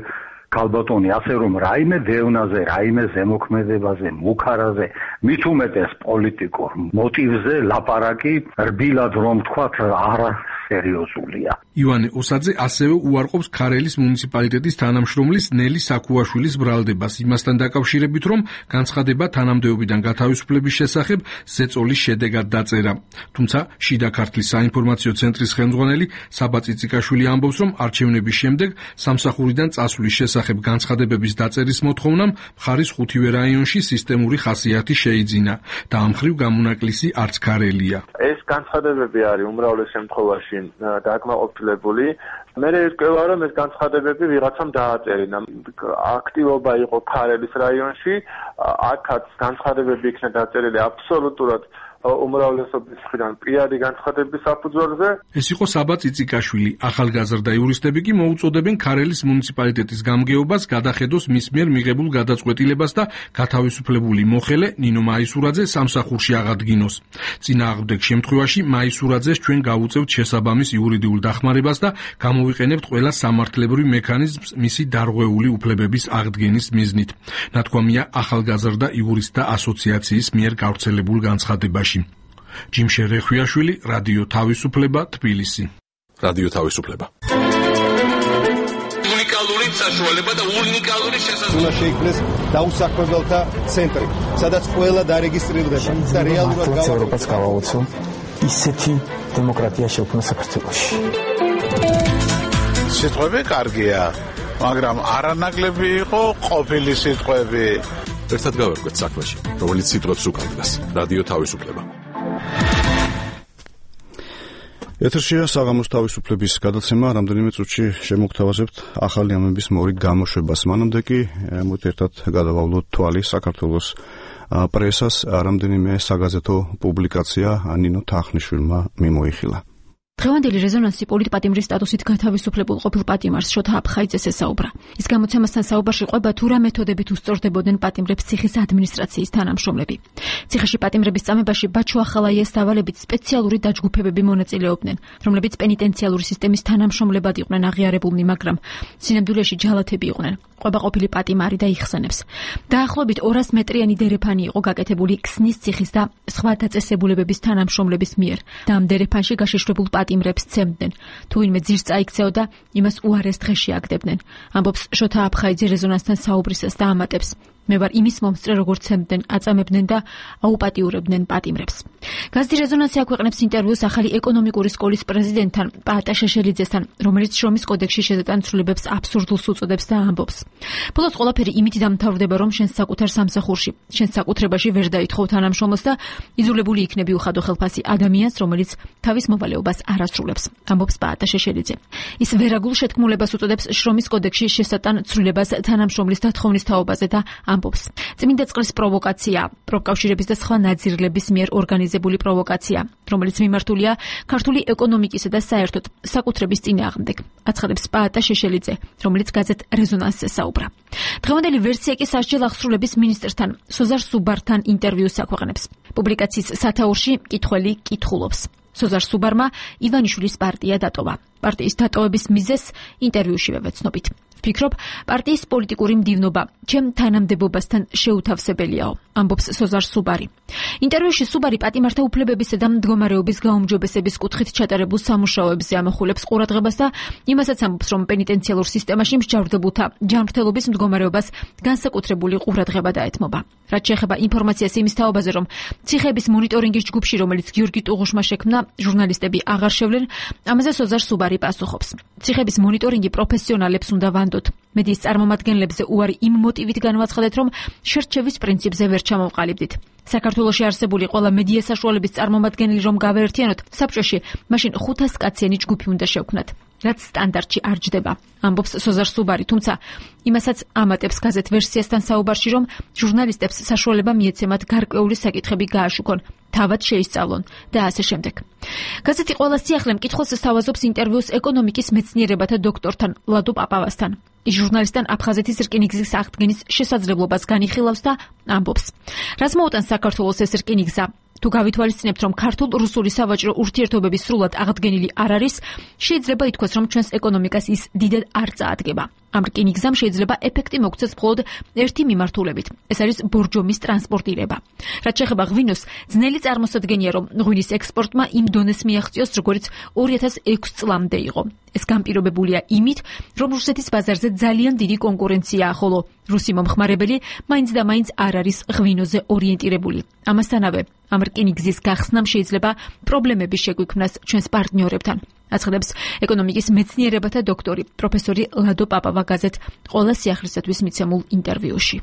Speaker 20: ქალბატონი, ასე რომ რაიმე დევნაზე, რაიმე ზემოქმედებაზე, მუქარაზე, მით უმეტეს პოლიტიკურ მოტივზე ლაპარაკი რბილად რომ თქვათ არა სერიოზულია.
Speaker 18: ივანე ოსაძე ასევე უარყოფს ქარელის მუნიციპალიტეტის თანამშრომლის ნელი საქუაშვილის ბრალდებას იმასთან დაკავშირებით, რომ განცხადება თანამდებობიდან გათავისუფლების შესახებ ზეწოლის შედეგად დაწერა. თუმცა შიდა ქართლის საინფორმაციო ცენტრის ხელმძღვანელი საბა წიწიკაშვილი ამბობს, რომ არჩევნების შემდეგ სამსახურიდან წასვლის შესახებ განცხადებების დაწერის მოთხოვნამ მხარის ხუთივე რაიონში სისტემური ხასიათი შეიძინა და ამ მხრივ გამონაკლისი არც ქარელია.
Speaker 21: ეს განცხადებები არის უმრავლეს შემთხვევაში დაკმაყოფილებული. მე ვიტყვი, რომ ეს განცხადებები ვიღაცამ დააწერინა. აქტივობა იყო ქარელის რაიონში, აქაც განცხადებები იქნა დაწერილი აბსოლუტურად უმრავლესობის მხრიდან პირადი განცხადების საფუძველზე.
Speaker 18: ეს იყო საბა წიწიკაშვილი. ახალგაზრდა იურისტები კი მოუწოდებენ ქარელის მუნიციპალიტეტის გამგეობას გადახედოს მის მიერ მიღებულ გადაწყვეტილებას და გათავისუფლებული მოხელე ნინო მაისურაძე სამსახურში აღადგინოს. წინააღმდეგ შემთხვევაში მაისურაძეს ჩვენ გავუწევთ შესაბამის იურიდიულ დახმარებას და გამოვიყენებთ ყველა სამართლებრივ მექანიზმს მისი დარღვეული უფლებების აღდგენის მიზნით. ნათქვამია ახალგაზრდა იურისტთა ასოციაციის მიერ გავრცელებულ განცხადებაში. ჯიმშე რეხვიაშვილი, რადიო თავისუფლება, თბილისი.
Speaker 4: რადიო თავისუფლება.
Speaker 22: უნიკალური საშუალება და უნიკალური შესაძლებლობა.
Speaker 23: უნდა შეიქმნეს დაუსაქმებელთა ცენტრი, სადაც ყველა დარეგისტრირდება და რეალურად
Speaker 24: ევროპას გავაოცო ისეთი დემოკრატია შექმნა საქართველოში.
Speaker 25: სიტყვები კარგია, მაგრამ არანაკლები იყო ყოფილი სიტყვები.
Speaker 4: ერთად გავერკვეთ საქმეში, რომელიც სიტყვებს უკავშირდება. რადიო თავისუფლება.
Speaker 1: ეთერშია საღამოს თავისუფლების გადაცემა, რამდენიმე წუთში შემოგთავაზებთ ახალი ამების მორიგ გამოშვებას. მანამდე კი მოით ერთად გადავავლოთ თვალი საქართველოს პრესას, რამდენიმე საგაზეთო პუბლიკაცია ნინო თახნიშვილმა მიმოიხილა.
Speaker 14: დღევანდელი რეზონანსი პოლიტპატიმრის სტატუსით გათავისუფლებულ ყოფილ პატიმარს შოთა აფხაიძეს ესაუბრა. ის გამოცემასთან საუბარში ყვება თუ რა მეთოდებით უსწორდებოდნენ პატიმრებს ციხის ადმინისტრაციის თანამშრომლები. ციხეში პატიმრების წამებაში ბაჩო ახალაიას დავალებით სპეციალური დაჯგუფებები მონაწილეობდნენ, რომლებიც პენიტენციალური სისტემის თანამშრომლებად იყვნენ აღიარებულნი, მაგრამ სინამდვილეში ჯალათები იყვნენ. ყვება ყოფილი პატიმარი და იხსენებს. დაახლოებით ორას მეტრიანი დერეფანი იყო გაკეთებული ქსნის ციხის და სხვა დაწესებულებების თანამშრომლების მიერ და ამ დერეფანში გაშეშლებულ პატიმრებს ცემდნენ. თუ ვინმე ძირს წაიქცეოდა, იმას უარეს დღეში აგდებდნენ. ამბობს შოთა აფხაიძე რეზონანსთან საუბრისას და ამატებს. მე ვარ იმის მომსწრე, როგორც ცემდნენ, აწამებდნენ და აუპატიურებდნენ პატიმრებს. გაზეთი რეზონანსი აქვეყნებს ინტერვიუს ახალი ეკონომიკური სკოლის პრეზიდენტთან პაატა შეშელიძესთან, რომელიც შრომის კოდექსში შეზეტან ცვლილებებს აბსურდულს უწოდებს და ამბობს. ბოლოს ყველაფერი იმით დამთავრდება, რომ შენ საკუთარ სამსახურში, შენ საკუთრებაში ვერ დაითხოვ თანამშრომლს და იძულებული იქნები უხადო ხელფასი ადამიანს, რომელიც თავის მოვალეობას არ ასრულებს, ამბობს პაატა შეშელიძე. ის ვერაგულ შეთქმულებას უწოდებს შრომის კოდექსში შესატან ცვლილებას თანამშრომლის დათხოვნის თაობაზე და ამბობს. წმინდა წყლის პროვოკაცია, პროფკავშირების და სხვა ნაძირლების მიერ ორგანიზებული პროვოკაცია, რომელიც მიმართულია ქართული ეკონომიკისა და საერთოდ საკუთრების წინააღმდეგ, აცხადებს პაატა შეშელიძე, რომელიც გაზეთ რეზონანსზე საუბრა. დღევანდელი ვერსია კი სასჯელ აღსრულების მინისტრთან, სოზარ სუბართან ინტერვიუს აქვეყნებს. პუბლიკაციის სათაურში კითხველი კითხულობს. სოზარ სუბარმა ივანიშვილის პარტია დატოვა. პარტიის დატოვების მიზეზს ინტერვიუშივე ვეცნობით. ვფიქრობ, პარტიის პოლიტიკური მდივნობა ჩემ თანამდებობასთან შეუთავსებელიაო, ამბობს სოზარ სუბარი. ინტერვიუში სუბარი პატიმართა უფლებებისა და მდგომარეობის გაუმჯობესების კუთხით ჩატარებულ სამუშაოებზე ამახვილებს ყურადღებას და იმასაც ამბობს, რომ პენიტენციალურ სისტემაში მსჯავრდებულთა ჯანმრთელობის მდგომარეობას განსაკუთრებული ყურადღება დაეთმობა. რაც შეეხება ინფორმაციას იმის თაობაზე, რომ ციხეების მონიტორინგის ჯგუფში, რომელიც გიორგი ტუღუშმა შექმნა, ჟურნალისტები აღარ შევლენ, ამაზე სოზარ სუბარი პასუხობს. ციხეების მონიტორინგი პროფესიონალებს უნდა ვანდოთ. მედიის წარმომადგენლებზე უარი იმ მოტივით განვაცხადეთ, რომ შერჩევის პრინციპზე ვერ ჩამოვყალიბდით. საქართველოში არსებული ყველა მედია საშუალების წარმომადგენელი რომ გავაერთიანოთ საბჭოში, მაშინ ხუთას კაციანი ჯგუფი უნდა შევქმნათ, რაც სტანდარტში არ ჯდება, ამბობს სოზარ სუბარი, თუმცა იმასაც ამატებს გაზეთ ვერსიასთან საუბარში, რომ ჟურნალისტებს საშუალება მიეცემათ გარკვეული საკითხები გააშუქონ, თავად შეისწავლონ და ასე შემდეგ. გაზეთი ყველა სიახლე მკითხველს სთავაზობს ინტერვიუს ეკონომიკის მეცნიერებათა დოქტორთან ლადო პაპავასთან. ის ჟურნალისტთან აფხაზეთის რკინიგზის აღდგენის შესაძლებლობას განიხილავს და ამბობს. რაც მოუტანს საქართველოს ეს რკინიგზა, თუ გავითვალისწინებთ, რომ ქართულ-რუსული სავაჭრო ურთიერთობები სრულად აღდგენილი არ არის, შეიძლება ითქვას, რომ ჩვენს ეკონომიკას ის დიდად არ წაადგება. ამ რკინიგზამ შეიძლება ეფექტი მოგცეს მხოლოდ ერთი მიმართულებით. ეს არის ბორჯომის ტრანსპორტირება. რაც შეეხება ღვინოს, ძნელი წარმოსადგენია, რომ ღვინის ექსპორტმა იმ დონეს მიაღწიოს, როგორც ორი ათას ექვსი წლამდე იყო. ეს განპირობებულია იმით, რომ რუსეთის ბაზარზე ძალიან დიდი კონკურენციაა, ხოლო რუსი მომხმარებელი მაინც და მაინც არ არის ღვინოზე ორიენტირებული. ამასთანავე, ამ რკინიგზის გახსნამ შეიძლება პრობლემები შეგვიქმნას ჩვენს პარტნიორებთან. აცხადებს ეკონომიკის მეცნიერებათა დოქტორი პროფესორი ლადო პაპავაგაზეთ ყველა სიახლისათვის მიცემულ ინტერვიუში.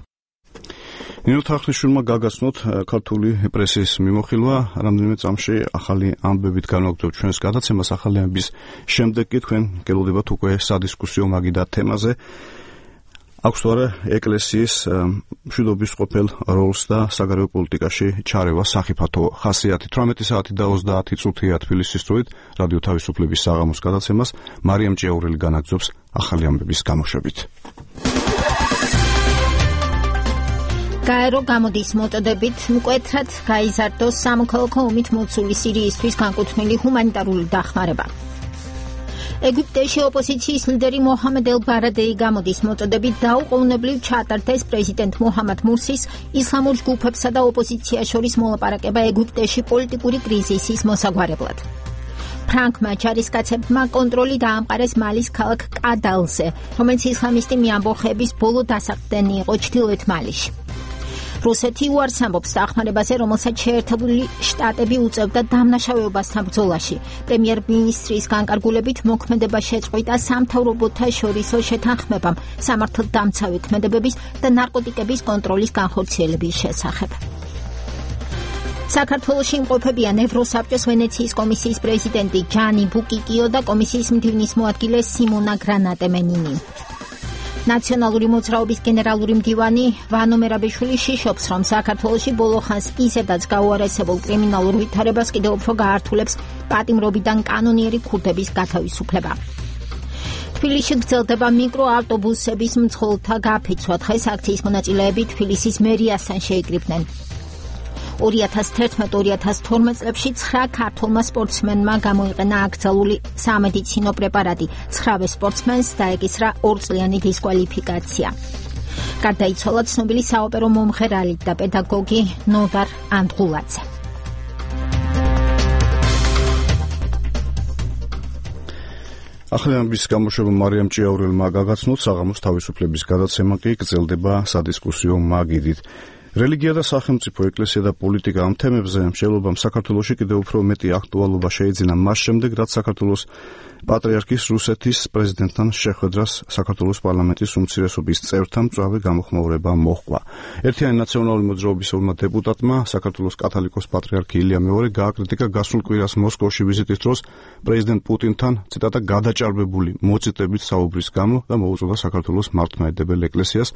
Speaker 1: ნინო თახნიშვილმა გაგაცნოთ ქართული პრესის მიმოხილვა, რამდენიმე წამში ახალი ამბებით განვაგრძობთ ჩვენს გადაცემას. ახალი ამბების შემდეგ კი თქვენ გელოდებათ უკვე სადისკუსიო მაგიდა თემაზე. აქვს თუ არა ეკლესიის მშვიდობის ყოფილ როლს და საგარეო პოლიტიკაში ჩარევა სახიფათო ხასიათით. თვრამეტი საათი და ოცდაათი წუთია თბილისის დროით რადიო თავისუფლების საღამოს გადაცემას მარიამ ჭიაურელი განაგრძობს ახალი ამბების გამოშვებით.
Speaker 2: გაერო გამოდის მოწოდებით მკვეთრად გაიზარდოს სამოქალაქო ომით მოცული სირიისთვის განკუთვნილი ჰუმანიტარული დახმარება. ეგვიპტეში ოპოზიციის ლიდერი მოჰამედ ელ-ბარადეი გამოდის მოწოდებით დაუყოვნებლივ ჩაატარდეს პრეზიდენტ მოჰამად მურსის ისლამურ ჯგუფებსა და ოპოზიციას შორის მოლაპარაკება ეგვიპტეში პოლიტიკური კრიზისის მოსაგვარებლად. ფრანკმა ჯარისკაცებმა კონტროლი დაამყარეს მალის ქალაქ კადალზე, რომელიც ისლამისტი მეამბოხეების ბოლო დასაყრდენი იყო ჩრდილოეთ მალიში. რუსეთი უარს ამბობს დახმარებაზე, რომელსაც შეერთებული შტატები უწევდა დამნაშავეობასთან ბრძოლაში. პრემიერ-მინისტრის განკარგულებით მოქმედება შეწყვიტა სამთავრობოთა შორისო შეთანხმებამ სამართალდამცავი ქმედებების და ნარკოტიკების კონტროლის განხორციელების შესახებ. საქართველოში იმყოფებიან ევროსაბჭოს ვენეციის კომისიის პრეზიდენტი ჯანი ბუკიკიო და კომისიის მდივნის მოადგილე სიმონა გრანატემენინი. ნაციონალური მოძრაობის გენერალური მდივანი ვანო მერაბიშვილი შიშობს, რომ საქართველოში ბოლო ხანს ისედაც გაუარესებულ კრიმინალურ ვითარებას კიდევ უფრო გაართულებს პატიმრობიდან კანონიერი ქურდების გათავისუფლება. თბილისში გრძელდება მიკროავტობუსების მძღოლთა გაფიცვა. დღეს აქციის მონაწილეები თბილისის მერიასთან შეიკრიბნენ. ორი ათას თერთმეტ ორი ათას თორმეტ წლებში ცხრა ქართველმა სპორტსმენმა გამოიყენა აკრძალული სამედიცინო პრეპარატი. ცხრავე სპორტსმენს დაეკისრა ორწლიანი დისკვალიფიკაცია. გარდაიცვალა ცნობილი საოპერო მომღერალი და პედაგოგი ნოდარ ანდღულაძე.
Speaker 1: ახალი ამბის გამოშვება მარიამ ჭიაურელმა გაგაცნოთ. საღამოს თავისუფლების გადაცემა კი გრძელდება სადისკუსიო მაგიდით. რელიგია და სახელმწიფო, ეკლესია და პოლიტიკა ამ თემებზე მშენებლობამ საქართველოში კიდევ უფრო მეტი აქტუალობა შეიძინა მას შემდეგ, რაც საქართველოს პატრიარქის რუსეთის პრეზიდენტთან შეხვედრას საქართველოს პარლამენტის უმცირესობის წევრთა მწვავე გამოხმაურება მოჰყვა. ერთიანი ნაციონალური მოძრაობისეულმა დეპუტატმა საქართველოს კათოლიკოს პატრიარქი ილია მეორე გააკრიტიკა გასულ კვირას მოსკოვში ვიზიტის დროს პრეზიდენტ პუტინთან ციტატა გადაჭარბებული მოწიტებით საუბრის გამო და მოუწოდა საქართველოს მართლმადიდებელ ეკლესიას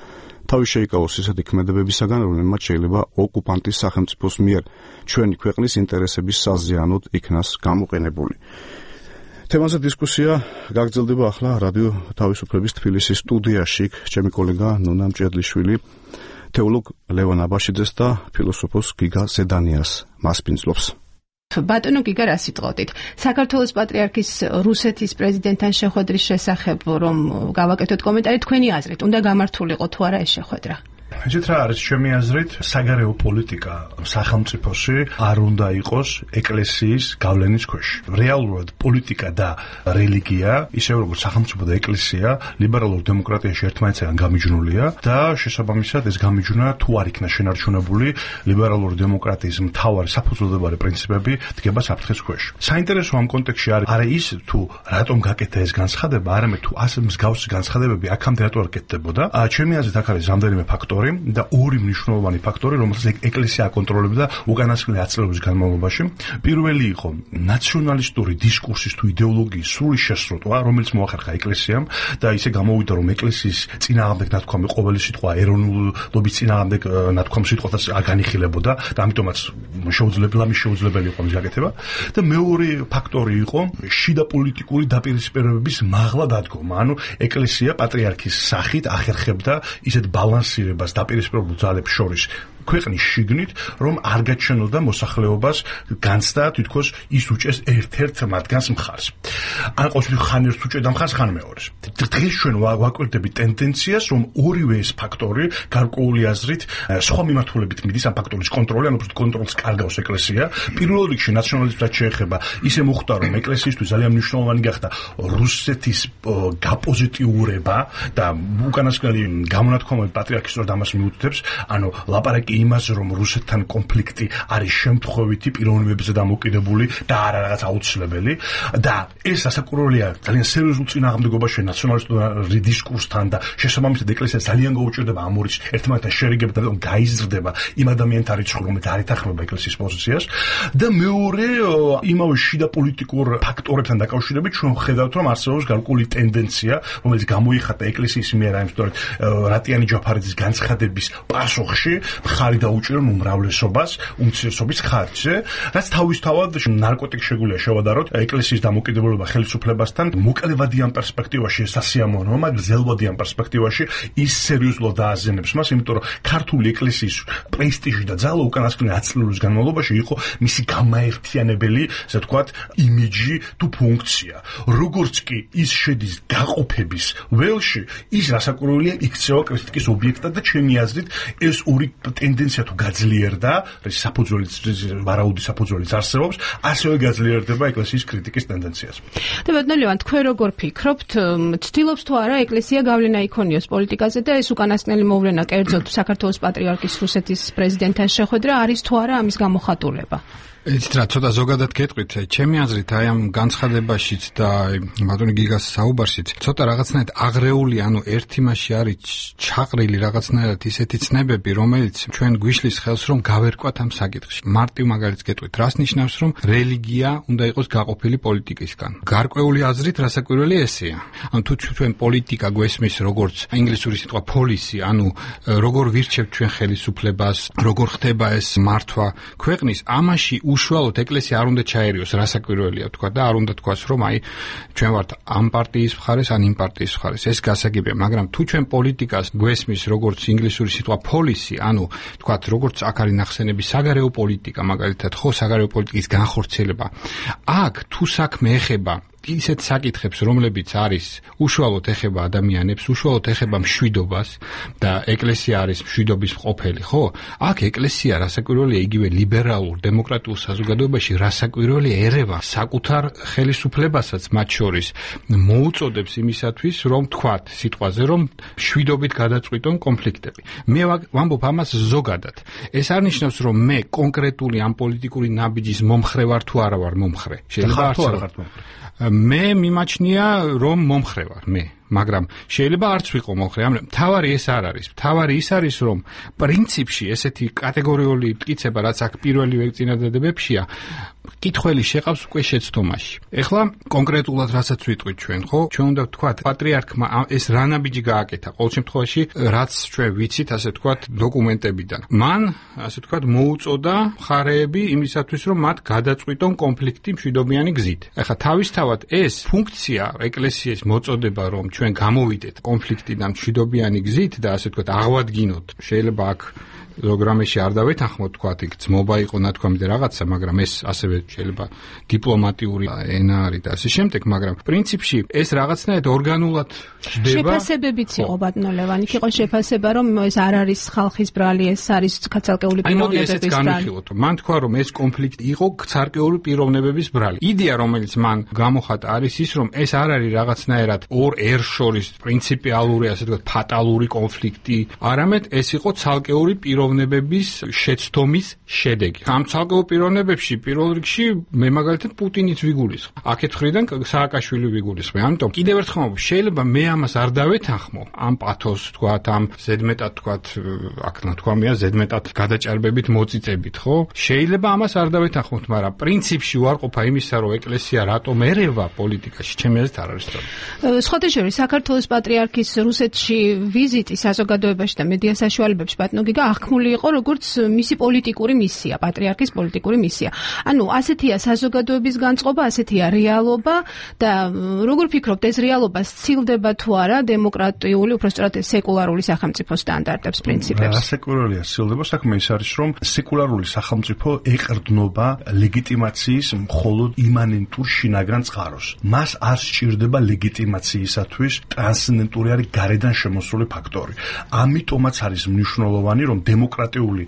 Speaker 1: თავი შეიკავოს ისეთი ქმედებებისაგან, რომელმაც შეიძლება ოკუპანტის სახელმწიფოს მიერ ჩვენი ქვეყნის ინტერესების საზიანოდ იქნას გამოყენებული. თემაზე დისკუსია გაგრძელდება ახლა რადიო თავისუფლების თბილისის სტუდიაში. ჩემი კოლეგა ნონა მჭედლიშვილი თეოლოგ ლევან აბაშიძეს და ფილოსოფოს გიგა ზედანიას მასპინძლობს.
Speaker 3: ბატონო გიგა, რა სიტყვით? საქართველოს პატრიარქის რუსეთის პრეზიდენტთან შეხვედრის შესახებ რომ გავაკეთოთ კომენტარი, თქვენი აზრით, უნდა გამართულიყო თუ არა ეს შეხვედრა?
Speaker 7: იცით რა არის ჩემი აზრით, საგარეო პოლიტიკა სახელმწიფოში არ უნდა იყოს ეკლესიის გავლენის ქვეშ. რეალურად პოლიტიკა და რელიგია, ისე როგორც სახელმწიფო და ეკლესია, ლიბერალურ დემოკრატიაში ერთმანეთსაგან გამიჯნულია და შესაბამისად ეს გამიჯვნა თუ არ იქნა შენარჩუნებული, ლიბერალური დემოკრატიის მთავარი საფუძველდებარე პრინციპები დგება საფრთხის ქვეშ. საინტერესო ამ კონტექსტში არის არა ის თუ რატომ გაკეთდა ეს განცხადება, არამედ თუ ასე მსგავსი განცხადებები აქამდე რატო არ კეთდებოდა. ჩემი აზრით აქ არის რამდენიმე ფაქტორი და ორი მნიშვნელოვანი ფაქტორი, რომელსაც ეკლესია აკონტროლებდა უკანასკნელი ათი წლების განმავლობაში. პირველი იყო ნაციონალისტური დისკურსის თუ იდეოლოგიის სრული შესწროთვა, რომელიც მოახერხა ეკლესიამ და ისე გამოვიდა, რომ ეკლესიის წინააღმდეგ ნათქვამი ყოველი სიტყვა ეროვნულობის წინააღმდეგ ნათქვამ სიტყვას არ განიხილებოდა და ამიტომაც შეუძლებელი შეუძლებელი იყო მის გაკეთება. და მეორე ფაქტორი იყო შიდა პოლიტიკური დაპირისპირებების მაღლა დადგომა. ანუ ეკლესია პატრიარქის სახით ახერხებდა ისეთ ბალანსირებას დაპირისპირებულ ძალებს შორის ქვეყნის შიგნით, რომ არ გაჩვენოდა მოსახლეობას განცდა თითქოს ის უჭეს ერთ-ერთ მათგანს მხარს. ან ყოველთვის ხან ერთ უჭედა მხარს, ხან მეორეს. დღეს ჩვენ ვაკვირდებით ტენდენციას, რომ ორივე ეს ფაქტორი გარკვეული აზრით სხვა მიმართულებით მიდის ამ ფაქტორის კონტროლი, ან უბრალოდ კონტროლს კარგავს ეკლესია. პირველ რიგში ნაციონალიზმსაც შეეხება, ისე მოხდა, რომ ეკლესიისთვის ძალიან მნიშვნელოვანი გახდა რუსეთის გაპოზიტიურება და უკანასკნელი გამონათქვამები პატრიარქის სწორედ ამას მიუთითებს, ანუ ლაპარაკი იმას, რომ რუსეთთან კონფლიქტი არის შემთხვევითი პიროვნებებზე დამოკიდებული და არა რაღაც აუცილებელი და ეს ასაკურველია ძალიან სერიოზულ წინააღმდეგობაში ნაციონალისტურ დისკურსთან და შესაბამისად ეკლესია ძალიან გაუჭირდება ამორის ერთმანეთთან შერიგება და გაიზრდება იმ ადამიანთა რიცხვი, რომელიც არ ეთანხმება ეკლესიის პოზიციას და მეორე იმავე შიდა პოლიტიკურ ფაქტორებთან დაკავშირებით ჩვენ ვხედავთ, რომ არსებობს გარკვეული ტენდენცია, რომელიც გამოიხატა ეკლესიის მიერ აი სწორედ რატიანი ჯაფარიძის განცხადების პასუხში მხარი დაუჭირა უმრავლესობას უმცირესობის ხარჯზე, რაც თავისთავად ნარკოტიკს შეგვიძლია შევადაროთ ეკლესიის დამოკიდებულება ხელისუფლებასთან მოკლევადიან პერსპექტივაში სასიამოვნოა, მაგრამ გრძელვადიან პერსპექტივაში ის სერიოზულად დააზიანებს მას, იმიტომ რომ ქართული ეკლესიის პრესტიჟი და ძალა უკანასკნელი ათი წლის განმავლობაში იყო მისი გამაერთიანებელი, ასე ვთქვათ, იმიჯი თუ ფუნქცია. როგორც კი ის შედის გაყოფების ველში, ის რასაკვირველია იქცევა კრიტიკის ობიექტად და ჩემი აზრით ეს ორი ტენდენცია თუ გაძლიერდა, ეს საფუძველიც ვარაუდი საფუძველიც არსებობს, ასევე გაძლიერდება ეკლესიის კრიტიკის ტენდენციას.
Speaker 3: და ბატონო ლევან, თქვენ როგორ ფიქრობთ, ცდილობს თუ არა ეკლესია გავლენა იქონიოს პოლიტიკაზე და ეს უკანასკნელი მოვლენა, კერძოდ საქართველოს პატრიარქის რუსეთის პრეზიდენტთან შეხვედრა არის თუ არა ამის გამოხატულება?
Speaker 18: იცით რა, ცოტა ზოგადად გეტყვით, ჩემი აზრით აი ამ განცხადებაშიც და ბატონი გიგას საუბარშიც ცოტა რაღაცნაირად აღრეული, ანუ ერთი მასში არის ჩაყრილი რაღაცნაირად ისეთი ცნებები, რომელიც ჩვენ გვიშლის ხელს რომ გავერკვათ ამ საკითხში. მარტივ მაგალითს გეტყვით, რას ნიშნავს, რომ რელიგია უნდა იყოს გაყოფილი პოლიტიკისგან. გარკვეული აზრით რასაკვირველი ესეა. ანუ თუ ჩვენ პოლიტიკა გვესმის როგორც ინგლისური სიტყვა policy, ანუ როგორ ვირჩევთ ჩვენ ხელისუფლებას, როგორ ხდება ეს მართვა ქვეყნის, ამაში უშუალოდ ეკლესია არ უნდა ჩაერიოს, რასაკვირველია თქვა და არ უნდა თქვას, რომ აი ჩვენ ვართ ამ პარტიის მხარეს, ან იმ პარტიის მხარეს. ეს გასაგებია, მაგრამ თუ ჩვენ პოლიტიკას გვესმის როგორც ინგლისური სიტყვა policy, ანუ თქვა როგორც აქ არის ნახსენები საგარეო პოლიტიკა, მაგალითად, ხო, საგარეო პოლიტიკის განხორციელება. აქ თუ საქმე ეხება ისეთ საკითხებს, რომლებიც არის უშუალოდ ეხება ადამიანებს, უშუალოდ ეხება მშვიდობას და ეკლესია არის მშვიდობის მყოფელი, ხო? აქ ეკლესია რასაკვირველია იგივე ლიბერალურ დემოკრატიულ საზოგადოებაში რასაკვირველია ერევა საკუთარ ხელისუფლებასაც მათ შორის მოუწოდებს იმისათვის, რომ თქვათ სიტყვაზე, რომ მშვიდობით გადაწყვიტონ კონფლიქტები. მე ვამბობ ამას ზოგადად. ეს არ ნიშნავს, რომ მე კონკრეტული ამ პოლიტიკური ნაბიჯის მომხრე ვარ თუ არა ვარ მომხრე. შეიძლება არ მე მიმაჩნია, რომ მომხრე ვარ მე, მაგრამ შეიძლება არც ვიყო მომხრე. ამიტომ თავარი ეს არ არის. თავარი ის არის, რომ პრინციპში ესეთი კატეგორიული მტკიცება, რაც აქ პირველივე წინადადებებშია, კითხველი შეყავს უკვე შეცდომაში. ეხლა კონკრეტულად რასაც ვიტყვით ჩვენ, ხო? ჩვენ უნდა ვთქვათ, პატრიარქმა ეს რა ნაბიჯი გააკეთა, ყოველ შემთხვევაში, რაც ჩვენ ვიცით, ასე ვთქვათ, დოკუმენტებიდან. მან, ასე ვთქვათ, მოუწოდა მხარეები იმისათვის, რომ მათ გადაწყვიტონ კონფლიქტი მშვიდობიანი გზით. ეხლა თავისთავად ეს ფუნქცია ეკლესიის მოწოდება, რომ ჩვენ გამოვიდეთ კონფლიქტიდან მშვიდობიანი გზით და ასე ვთქვათ, აღვადგინოთ. შეიძლება აქ პროგრამაში არ დავეთანხმოთ, თქვათ, იქ ძმობა იყო ნათქვამი და რაღაცა, მაგრამ ეს ასევე შეიძლება დიპლომატიური ენა არის და ასე შემდეგ, მაგრამ პრინციპში ეს რაღაცნაირად ორგანულად ჯდება.
Speaker 3: შეფასებებიც იყო ბატონო ლევან, იქ იყო შეფასება, რომ ეს არ არის ხალხის ბრალი, ეს არის ცალკეული პიროვნებების ბრალი.
Speaker 18: მან თქვა, რომ ეს კონფლიქტი იყო ცალკეული პიროვნებების ბრალი. იდეა, რომელიც მან გამოხატა, არის ის, რომ ეს არ არის რაღაცნაირად ორ ერს შორის პრინციპიალური, ასე ვთქვათ, ფატალური კონფლიქტი, არამედ ეს იყო ცალკეული პიროვნებების შეცდომის შედეგი. ამ ცალკეულ პიროვნებებში პირველ რიგში მე მაგალითად პუტინიც ვიგულისხმ. აქეთ ხრიდან სააკაშვილი ვიგულისხმ. ამიტომ კიდევ ერთხელ შეიძლება მე ამას არ დავეთანხმო, ამ პათოს თქვათ, ამ ზედმეტად თქვათ, აქ ნათქვამია ზედმეტად გადაჭარბებით მოწიწებით, ხო? შეიძლება ამას არ დავეთანხმოთ, მაგრამ პრინციპში უარყოფა იმისა, რომ ეკლესია რატომ ერევა პოლიტიკაში, ჩემი აზრით არ არის სწორი.
Speaker 3: სხვათა შორის საქართველოს პატრიარქის რუსეთში ვიზიტი საზოგადოებაში და მედია საშუალებებში ბატონო გიგა აღქმა განკუთვნილი იყო როგორც მისი პოლიტიკური მისია, პატრიარქის პოლიტიკური მისია. ანუ ასეთია საზოგადოების განწყობა, ასეთია რეალობა და როგორ ფიქრობთ, ეს რეალობა სცილდება თუ არა დემოკრატიული, უпростоრად სეკულარული სახელმწიფოს სტანდარტებს, პრინციპებს?
Speaker 7: ასეკულარულია სცილდება, საქმე ის არის, რომ სეკულარული სახელმწიფო ეყრდნობა ლეგიტიმაციის მხოლოდ იმანენტურ შინაგან წყაროს. მას არ სჭირდება ლეგიტიმაციისათვის ტრანსცენდენტური არის გარედან შემოსული ფაქტორი. ამიტომაც არის მნიშვნელოვანი, რომ დემოკრატიული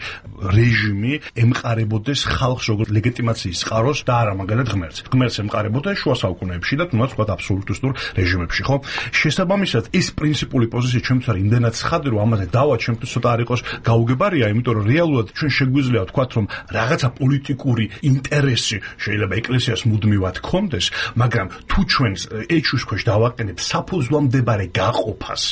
Speaker 7: რეჟიმი ემყარებოდეს ხალხს როგორც ლეგიტიმაციის წყაროს და არა მაგალითად ღმერთს. ღმერთს ემყარებოდა შუა საუკუნეებში და თუნდაც ვთქვათ აბსოლუტისტურ რეჟიმებში, ხო? შესაბამისად, ეს პრინციპული პოზიცია ჩემთვის არის იმდენად ცხადი, რომ ამაზე დავა ჩემთვის ცოტა არ იყოს გაუგებარია, იმიტომ რომ რეალურად ჩვენ შეგვიძლია ვთქვათ, რომ რაღაცა პოლიტიკური ინტერესი შეიძლება ეკლესიას მუდმივად ჰქონდეს, მაგრამ თუ ჩვენ ეჩუს ქვეშ დავაყენებთ საფუძვლამდebare გაყოფას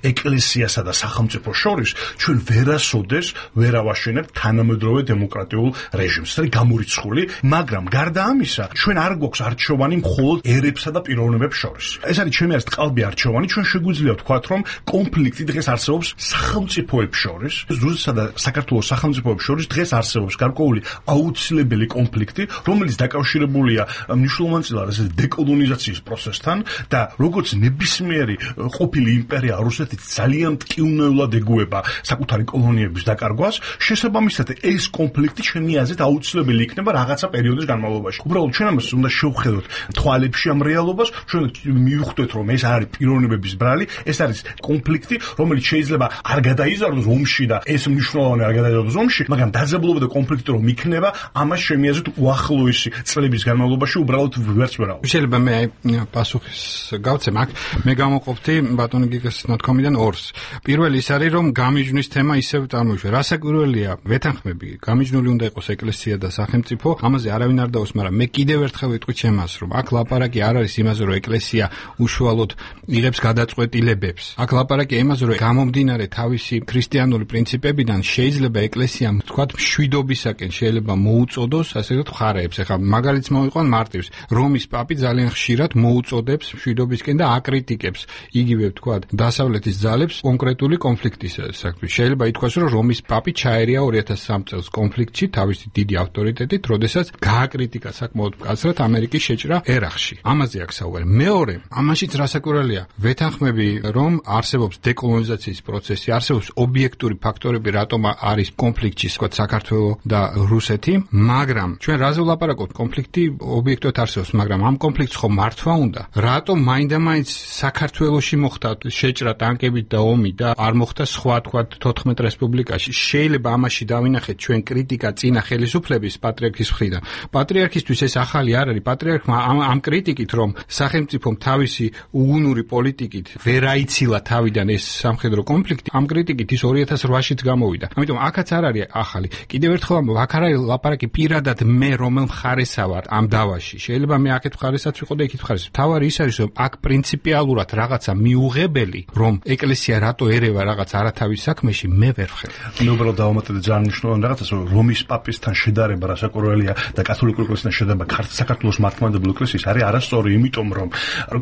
Speaker 7: ეკლესიასა და სახელმწიფოს შორის, ჩვენ ვერასოდეს ვერავაშენებთ თანამედროვე დემოკრატიულ რეჟიმს. ეს არის გამორიცხული, მაგრამ გარდა ამისა, ჩვენ არ გვაქვს არჩევანი მხოლოდ ერებსა და პიროვნებებს შორის. ეს არის ჩემი აზრით ყალბი არჩევანი, ჩვენ შეგვიძლია ვთქვათ, რომ კონფლიქტი დღეს არსებობს სახელმწიფოებს შორის, რუსეთსა და საქართველოს სახელმწიფოებს შორის დღეს არსებობს გარკვეული აუცილებელი კონფლიქტი, რომელიც დაკავშირებულია მნიშვნელოვანწილად ესეთ დეკოლონიზაციის პროცესთან და როგორც ნებისმიერი ყოფილი იმპერია რუსეთი ძალიან მტკივნეულად ეგუება საკუთარი კოლონიების დაკარგვას, შესაბამისად ეს კონფლიქტი ჩემი აზრით აუცილებელი იქნება რაღაცა პერიოდის განმავლობაში. უბრალოდ ჩვენ ამას უნდა შევხედოთ თვალებში ამ რეალობას, ჩვენ მივხვდეთ, რომ ეს არის პიროვნებების ბრალი, ეს არის კონფლიქტი, რომელიც შეიძლება არ გადაიზარდოს ომში და ეს მნიშვნელოვანი არ გადაიზარდოს ომში, მაგრამ დაძაბულობა და კონფლიქტი რომ იქნება, ამას ჩემი აზრით უახლოესი წლების განმავლობაში უბრალოდ ვერც ვერ აღვ.
Speaker 18: შეიძლება მე აი პასუხის გავცემ აქ, მე გამოყოფდი ბატონი გიგას ნათქვამიდან ორს. პირველი ის არის, რომ გამიჯვნის თემა ისევ წარმოიშვება. რასაკვირველია, ვეთანხმები, გამიჯნული უნდა იყოს ეკლესია და სახელმწიფო, ამაზე არავინ არ დაოს, მაგრამ მე კიდევ ერთხელ ვიტყვი ჩემას, რომ აქ ლაპარაკი არ არის იმაზე, რომ ეკლესია უშუალოდ იღებს გადაწყვეტილებებს. აქ ლაპარაკი იმაზე, რომ გამომდინარე თავისი ქრისტიანული პრინციპებიდან შეიძლება ეკლესიამ თქვათ მშვიდობისაკენ შეიძლება მოუწოდოს, ასე ვთქვათ, მხარეებს. ეხლა მაგალითს მოვიყვან მარტივს. რომის პაპი ძალიან ხშირად მოუწოდებს მშვიდობისკენ და აკრიტიკებს იგივე ვთქვათ დასავლეთის ძალებს კონკრეტული კონფლიქტის საქმეში. შეიძლება ითქვას, რომ რომის პაპი ჩაერია ორი ათას სამი წელს კონფლიქტში თავისი დიდი ავტორიტეტით, როდესაც გააკრიტიკა საკმაოდ მკაცრად ამერიკის შეჭრა ერაყში. ამაზე აქ საუბარი. მეორე, ამაშიც რასაკვირველია, ვეთანხმები, რომ არსებობს დეკოლონიზაციის პროცესი, არსებობს ობიექტური ფაქტორები, რატომ არის კონფლიქტში, ვთქვათ, საქართველო და რუსეთი, მაგრამ ჩვენ რაზე ვლაპარაკობთ, კონფლიქტი ობიექტურად არსებობს, მაგრამ ამ კონფლიქტს ხომ მართვა უნდა? რატომ მაინდა-მაინც საქართველოში მოხდა შეჭრა ტანკებით და ომი და არ მოხდა სხვა, თქვათ, თოთხმეტ რესპუბლიკაში? შეიძლება ამაში დავინახეთ ჩვენ კრიტიკა წინა ხელისუფლების პატრიარქის მხრიდან. პატრიარქისთვის ეს ახალი არ არის. პატრიარქმა ამ, ამ კრიტიკით, რომ სახელმწიფომ თავისი უგუნური პოლიტიკით ვერ აიცილა თავიდან ეს სამხედრო კონფლიქტი, ამ კრიტიკით ის ორი ათას ოთხშიც გამოვიდა. ამიტომ აქაც არ არის ახალი. კიდევ ერთხელ აქ არ არის ლაპარაკი პირადად მე რომელ მხარესა ვარ ამ დავაში. შეიძლება მე აქეთ მხარესაც ვიყო და იქით მხარეს. თავარი ის არის, რომ აქ პრინციპიალურად რაღაცა მიუღებელი, რომ ეკლესია რატო ერევა რაღაც არათავის საქმეში, მე ვერ ვხედავ.
Speaker 7: მე უბრალოდ დავამატებდი ძალიან მნიშვნელოვანი რაღაცას, რომ რომის პაპისთან შედარება რასაკვირველია და კათოლიკური ეკლესიასთან შედარება საქართველოს მართლმადიდებლური ეკლესიის არის არასწორი, იმიტომ რომ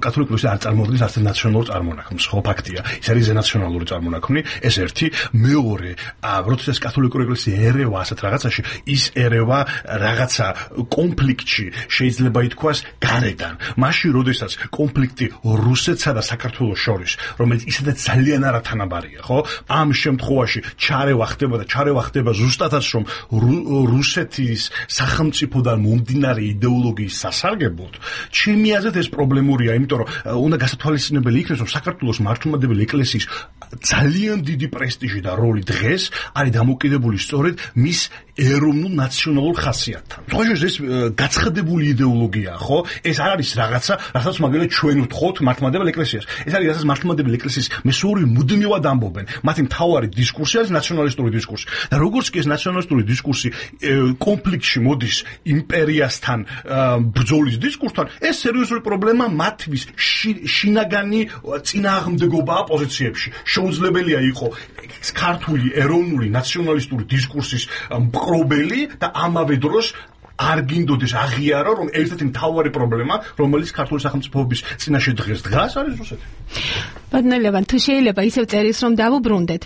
Speaker 7: კათოლიკური ეკლესია არ წარმოადგენს არც ნაციონალურ წარმონაქმნს, ხო ფაქტია. ის არის ზენაციონალური წარმონაქმნი, ეს ერთი. მეორე, როდესაც კათოლიკური ეკლესია ერევა ასეთ რაღაცაში, ის ერევა რაღაცა კონფლიქტში შეიძლება ითქვას გარედან. მაშინ როდესაც კონფლიქტი რუსეთსა და საქართველოს შორის, რომელიც ისედაც ძალიან არათანაბარია, ხო? ამ შემთხვევაში ჩარევა ხდება და ჩარევა ხდება ზუსტადაც რომ რუსეთის სახელმწიფოდან მომდინარე იდეოლოგიის სასარგებლოდ, ჩემი აზრით ეს პრობლემურია, იმიტომ რომ უნდა გასათვალისწინებელი იქნეს, რომ საქართველოს მართლმადიდებელი ეკლესიის ძალიან დიდი პრესტიჟი და როლი დღეს არის დამოკიდებული სწორედ მის ეროვნულ ნაციონალურ ხასიათთან. თქოს ეს გაცხადებული იდეოლოგიაა, ხო? ეს არ არის რაღაცა, რასაც მაგალითად ჩვენ ვთხოვთ მართლმადიდებელ ეკლესიას. ეს არის რასაც მართლმადიდებელი ეკლესიის მესუარი მუდმივად ამბობენ. მათი მთავარი დისკურსი არის ნაციონალისტური დისკურსი. და როგორც კი ეს ნაციონალისტური დისკურსი კონფლიქტში მოდის იმპერიასთან ბრძოლის დისკურსთან, ეს სერიოზული პრობლემა მათთვის შინაგანი წინააღმდეგობაა პოზიციებში. შეუძლებელია იყო ქართული ეროვნული ნაციონალისტური დისკურსის მპყრობელი და ამავე დროს არ გინდოდეს აღიარო, რომ ერთ-ერთი მთავარი პრობლემა, რომელიც ქართული სახელმწიფოების წინაშე დღეს დგას, არის რუსეთი.
Speaker 3: ბატონელევან, თუ შეიძლება ისევ წერილს რომ დავუბრუნდეთ,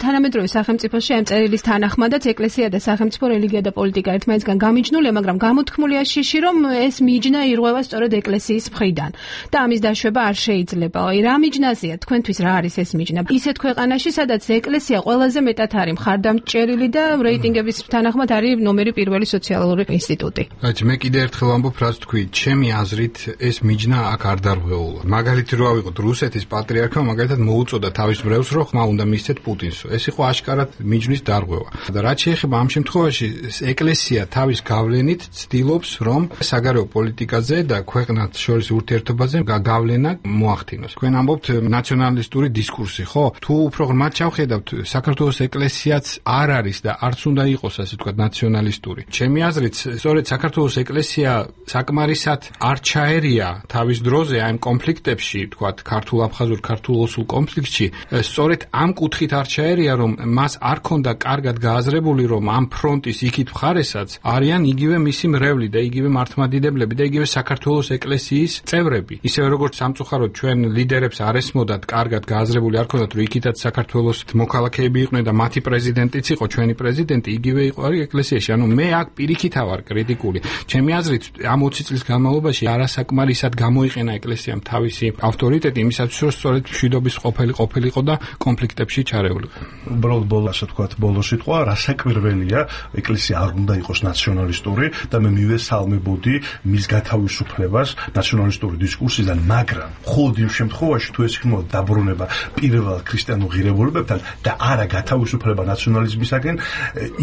Speaker 3: თანამედროვე სახელმწიფოში ამ წერილის თანახმადაც ეკლესია და სახელმწიფო რელიგია და პოლიტიკა ერთმანეთისგან გამიჯნულია, მაგრამ გამოთქმულია შიში, რომ ეს მიჯნა ირღვევა სწორედ ეკლესიის მხრიდან და ამის დაშვება არ შეიძლება. რა მიჯნაზეა თქვენთვის, რა არის ეს მიჯნა? ისეთ ქვეყანაში, სადაც ეკლესია ყველაზე მეტად არის მხარდამჭერილი და რეიტინგების თანახმად არის ნომერი პირველი სოციალური ინსტიტუტი.
Speaker 18: რაიც მე კიდე ერთხელ ამბობ, რაც თქვი, ჩემი აზრით ეს მიჯნა აქ არ დარღვეულა. მაგალითი რო ავიღოთ რუსეთის პატრიარქმა მაგალითად მოუწოდა თავის მრევლს, რომ ხმა უნდა მისცეთ პუტინს. ეს იყო აშკარად მიჯნის დარღვევა. და რაც შეეხება ამ შემთხვევაში, ეკლესია თავის გავლენით ცდილობს, რომ საგარეო პოლიტიკაზე და ქვეყნად შორის ურთიერთობაზე გავლენა მოახდინოს. თქვენ ამბობთ ნაციონალისტური დისკურსი, ხო? თუ უფრო ღრმად ჩავხედავთ, საქართველოს ეკლესიაც არ არის და არც უნდა იყოს, ასე ვთქვათ, ნაციონალისტური. ჩემი აზრით, სწორედ საქართველოს ეკლესია საკმარისად არ ჩაერია თავის დროზე აი ამ კონფლიქტებში, ვთქვათ, ქართულ-აფხაზურ, ქართულ-ოსურ კონფლიქტში, სწორედ ამ კუთხით არ ჩაერია, რომ მას არ ქონდა კარგად გააზრებული, რომ ამ ფრონტის იქით მხარესაც არიან იგივე მისი მრევლი და იგივე მართლმადიდებლები და იგივე საქართველოს ეკლესიის წევრები. ისევე როგორც სამწუხაროდ ჩვენ ლიდერებს არ ესმოდათ, კარგად გააზრებული არ ქონდათ, რომ იქითაც საქართველოს მოქალაქეები იყვნენ და მათი პრეზიდენტიც იყო, ჩვენი პრეზიდენტი იგივე იყო ეკლესიაში. ანუ მე აქ პირიქით ავარ კრიტიკული. ჩემი აზრით, ამ ოცი წლის განმავლობაში არასაკმარისად გამოიყენა ეკლესიამ თავისი ავტორიტეტი იმისათვის, რომ სწორედ მშვიდობის ყოფილი ყოფილიყო და კონფლიქტებში ჩარეულიყო.
Speaker 7: უბრალოდ ბოლო ასე ვთქვათ, ბოლო სიტყვა, რასაკვირველია, ეკლესია არ უნდა იყოს ნაციონალისტური და მე მივესალმებოდი მის გათავისუფლებას ნაციონალისტური დისკურსიდან, მაგრამ მხოლოდ იმ შემთხვევაში, თუ ეს იქნება დაბრუნება პირველ ქრისტიანულ ღირებულებებთან და არა გათავისუფლება ნაციონალიზმისაგან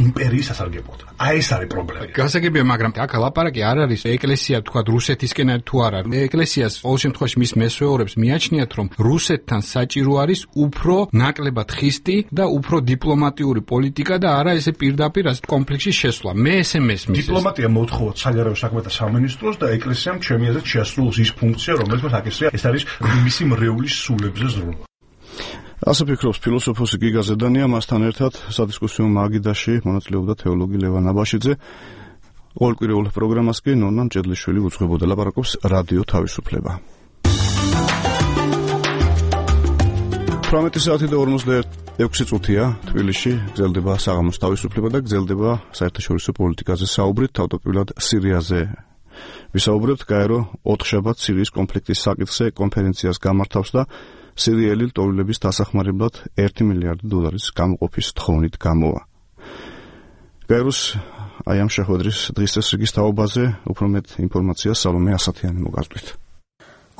Speaker 7: იმპერიის სასარგებლოდ. აი ეს არის პრობლემა.
Speaker 18: გასაგებია, მაგრამ აქ ლაპარაკი არ არის ეკლესია თქვა რუსეთისკენ თუ არა. ეკლესიას ყოველ შემთხვევაში მის მესვეორებს მიაჩნიათ, რომ რუსეთთან საჭირო არის უფრო ნაკლებად ხისტი და უფრო დიპლომატიური პოლიტიკა და არა ესე პირდაპირ ასეთ კონფლიქტში შესვლა. მე ესე მესმის.
Speaker 7: დიპლომატია მოთხოვოთ საგარეო საქმეთა სამინისტროს და ეკლესიამ ჩემი აზრით შეასრულოს ის ფუნქცია, რომელსაც აკისრია, ეს არის მისი მრევლის სულებზე ზრუნვა.
Speaker 1: ასე ფიქრობს ფილოსოფოსი გიგა ზედანია, მასთან ერთად სადისკუსიო მაგიდაში მონაწილეობდა თეოლოგი ლევან აბაშიძე. ყოველკვირეულ პროგრამას კი ნონა მჭედლიშვილი უძღვებოდა. ლაპარაკობს რადიო თავისუფლება. თვრამეტი საათი და ორმოცდაექვსი წუთია თბილისში გრძელდება საღამოს თავისუფლება და გრძელდება საერთაშორისო პოლიტიკაზე საუბრით, თავდაპირველად სირიაზე. ვისაუბრებთ, გაერო ოთხშაბათ სირიის კონფლიქტის საკითხზე კონფერენციას გამართავს და სირიელი ლტოლვილების დასახმარებლად ერთი მილიარდი დოლარის გამოყოფის თხოვნით გამოვა. გაეროს აი ამ შეხვედრის დღის წესრიგის თაობაზე უფრო მეტ ინფორმაციას სალომე ასათიანი მოგაზრდით.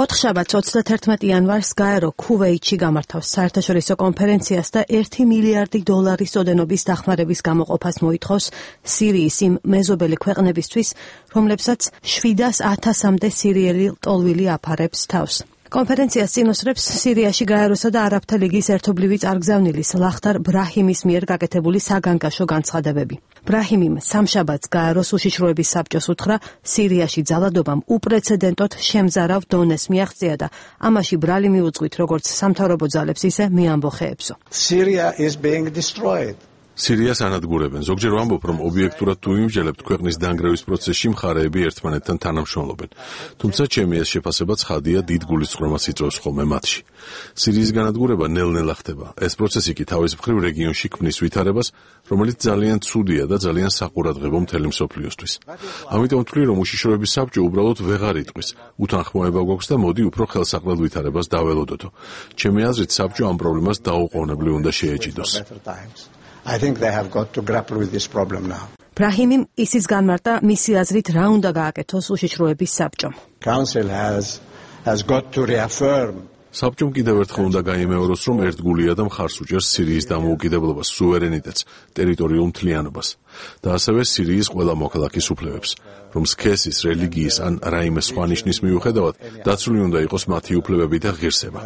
Speaker 6: ოთხშაბათს ოცდათერთმეტი იანვარს გაერო ქუვეითში გამართავს საერთაშორისო კონფერენციას და ერთი მილიარდი დოლარის ოდენობის დახმარების გამოყოფას მოითხოვს სირიის იმ მეზობელი ქვეყნებისთვის, რომლებსაც შვიდას ათასამდე სირიელი ლტოლვილი აფარებს თავს. კონფერენციას წინოსწრებს სირიაში გაეროსა და არაბთა ლიგის ერთობლივი წარგზავნილის ლახტარ ბრაჰიმის მიერ გაკეთებული საგანგაშო განცხადებები. ბრაჰიმიმ სამშაბათს გაეროს უშიშროების საბჭოს უთხრა, სირიაში ძალადობამ უპრეცედენტოდ შემზარავ დონეს მიაღწია და ამაში ბრალი მიუძღვით როგორც სამთავრობო ძალებს, ისე მეამბოხეებსო.
Speaker 10: Syria is being destroyed.
Speaker 4: სირიას ანადგურებენ. ზოგჯერ ვამბობ, რომ ობიექტურად თუ იმსჯელებთ, ქვეყნის დანგრევის პროცესში მხარეები ერთმანეთთან თანამშრომლობენ. თუმცა ჩემი ეს შეფასება ცხადია, დიდ გულისწყრომას იწვევს ხოლმე მათში. სირიის განადგურება ნელ-ნელა ხდება. ეს პროცესი კი თავის მხრივ რეგიონში ქმნის ვითარებას, რომელიც ძალიან ცუდია და ძალიან საყურადღებო მთელი მსოფლიოსთვის. ამიტომ ვთვლი, რომ უშიშროების საბჭო უბრალოდ ვეღარ იტყვის. უთანხმოება გვაქვს და მოდი უფრო ხელსაყრელ ვითარებას დაველოდოთო. ჩემი აზრით, საბჭო ამ პრობლემას დაუყოვნებლივ უნდა შეეჭიდოს.
Speaker 10: I think they have got to grapple with this problem now.
Speaker 6: ბრაჰიმიმ ისიც განმარტა, მისი აზრით რა უნდა გააკეთოს უშიშროების საბჭომ.
Speaker 10: Council has has got to reaffirm
Speaker 4: საბჭომ კიდევ ერთხელ უნდა გაიმეოროს, რომ ერთგულია და მხარს უჭერს სირიის დამოუკიდებლობას, სუვერენიტეტს, ტერიტორიულ მთლიანობას და ასევე სირიის ყველა მოქალაქის უფლებებს, რომ სქესის, რელიგიის ან რაიმე სხვა ნიშნის მიუხედავად დაცული უნდა იყოს მათი უფლებები და ღირსება.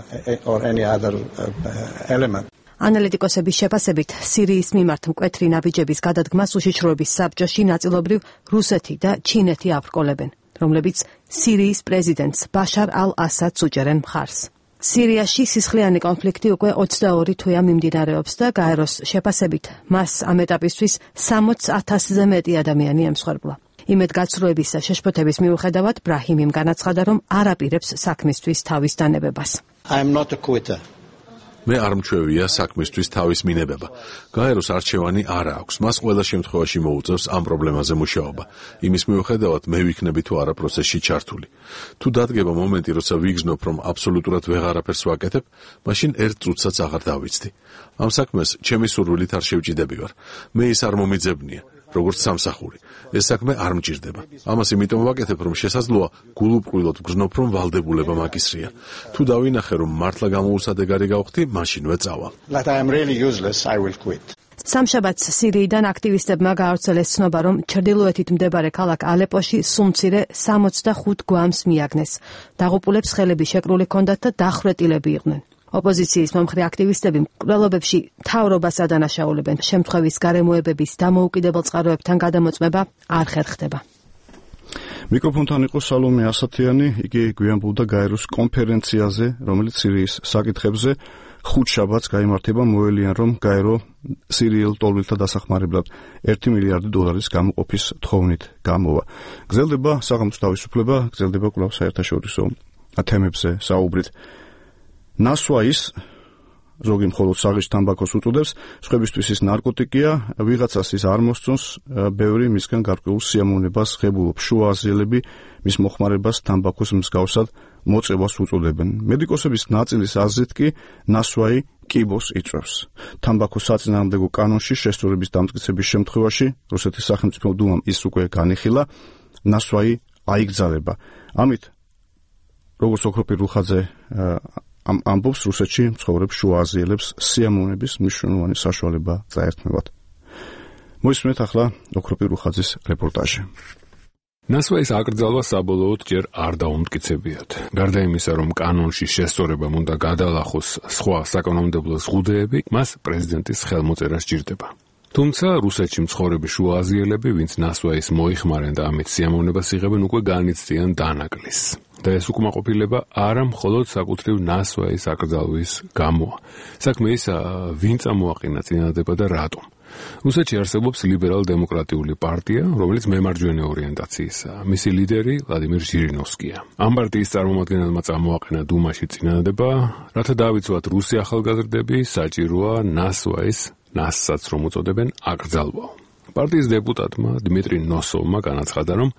Speaker 10: or any other uh, element.
Speaker 6: ანალიტიკოსების შეფასებით, სირიის მიმართ მკვეთრი ნაბიჯების გადადგმას უშიშროების საბჭოში ნაწილობრივ რუსეთი და ჩინეთი აბრკოლებენ, რომლებიც სირიის პრეზიდენტს ბაშარ ალ-ასადს უჭერენ მხარს. სირიაში სისხლიანი კონფლიქტი უკვე ოცდაორი თვეა მიმდინარეობს და გაეროს შეფასებით, მას ამ ეტაპისთვის სამოცი ათასზე მეტი ადამიანი ემსხვერპლა. იმედგაცრუების შეშფოთების მიუხედავად ბრაჰიმიმ განაცხადა, რომ არ აპირებს საქმისთვის თავის დანებებას.
Speaker 10: I am not a quitter.
Speaker 4: მე არ მჩვევია საქმისთვის თავის მინებება. გაეროს არჩევანი არ აქვს. მას ყველა შემთხვევაში მოუწევს ამ პრობლემაზე მუშაობა. იმის მიუხედავად მე ვიქნები თუ არა პროცესში ჩართული. თუ დადგება მომენტი, როცა ვიგრძნობ, რომ აბსოლუტურად ვეღარაფერს ვაკეთებ, მაშინ ერთ წუთსაც აღარ დავიცდი. ამ საქმეს ჩემი სურვილით არ შევჭიდები ვარ. მე ის არ მომიძებნია, როგორც სამსახური. ეს საქმე არ მჭირდება. ამას იმიტომ ვაკეთებ, რომ შესაძლოა გულუბრყვილოდ ვგრძნობ, რომ ვალდებულება მაგისრია. თუ დავინახე, რომ მართლა გამოუსადეგარი გავხდი, მაშინვე წავალ.
Speaker 10: That I am really useless, I will quit.
Speaker 6: სამშაბათს სირიიდან აქტივისტებმა გაავრცელეს ცნობა, რომ ჩრდილოეთით მდებარე ქალაქ ალეპოში სულ მცირე სამოცდახუთ გვამს მიაგნეს. დაღუპულებს ხელები შეკრული ჰქონდათ და დახვრეტილები იყვნენ. ოპოზიციის მომხრე აქტივისტები მკვლელობებში მთავრობას ადანაშაულებენ. შემთხვევის გარემოებების დამოუკიდებელ წყაროებთან გადამოწმება არ ხერხდება.
Speaker 1: მიკროფონთან იყო სალომე ასათიანი, იგი გვიანბულდა გაეროს კონფერენციაზე, რომელიც სირიის საკითხებზე ხუთშაბათს გაიმართება. მოელიან, რომ გაერო სირიელ ტოლვილთა დასახმარებლად ერთი მილიარდი დოლარის გამოყოფის თხოვნით გამოვა. გრძელდება საღამოს თავისუფლება, გრძელდება კვლავ საერთაშორისო თემებზე საუბრით. ნასვაის ზოგი მხოლოდ საღის თამბაქოს უწოდებს, სხვებისთვის ის ნარკოტიკია, ვიღაცას ის არ მოსწონს, ბევრი მისგან გარკვეულ სიამოვნებას ღებულობს. შუა აზიელები მის მოხმარებას თამბაქოს მსგავსად მოწევას უწოდებენ. მედიკოსების ნაწილის აზრით კი ნასვაი კიბოს იწვევს. თამბაქოს საწინააღმდეგო კანონში შესწორების დამტკიცების შემთხვევაში რუსეთის სახელმწიფო დუმამ ის უკვე განიხილა, ნასვაი აიგზავნება. ამით როგორც ოქროპირ რუხაძე ამ ამბობს, რუსეთში მცხოვრებს შუა აზიელებს სიამოვნების მნიშვნელოვანი საშუალება წაერთმევათ. მოისმენთ ახლა ოქროპირ რუხაძის რეპორტაჟი.
Speaker 11: ნასვაის აკრძალვა საბოლოოდ ჯერ არ დაუმტკიცებიათ. გარდა იმისა, რომ კანონში შესწორებამ უნდა გადალახოს სხვა საკანონმდებლო ზღუდეები, მას პრეზიდენტის ხელმოწერა სჭირდება. თუმცა რუსეთში მცხოვრები შუა აზიელები, ვინც ნასვაის მოიხმარენ და ამით სიამოვნებას იღებენ, უკვე განიცდიან დანაკლისს. და ეს უკმაყოფილება არა მხოლოდ საკუთრივ ნასვაის აკრძალვის გამოა. საქმე ისა, ვინ წამოაყენა წინადადება და რატომ. რუსეთში არსებობს ლიბერალ-დემოკრატიული პარტია, რომელიც მემარჯვენე ორიენტაციისაა. მისი ლიდერი ვლადიმირ ჟირინოვსკია. ამ პარტიის წარმომადგენელმა წამოაყენა დუმაში წინადადება, რათა დავიცვათ რუსი ახალგაზრდები, საჭიროა ნასვაის, ნასსაც რომ უწოდებენ, აკრძალვაო. პარტიის დეპუტატმა დიმიტრი ნოსოვმა განაცხადა, რომ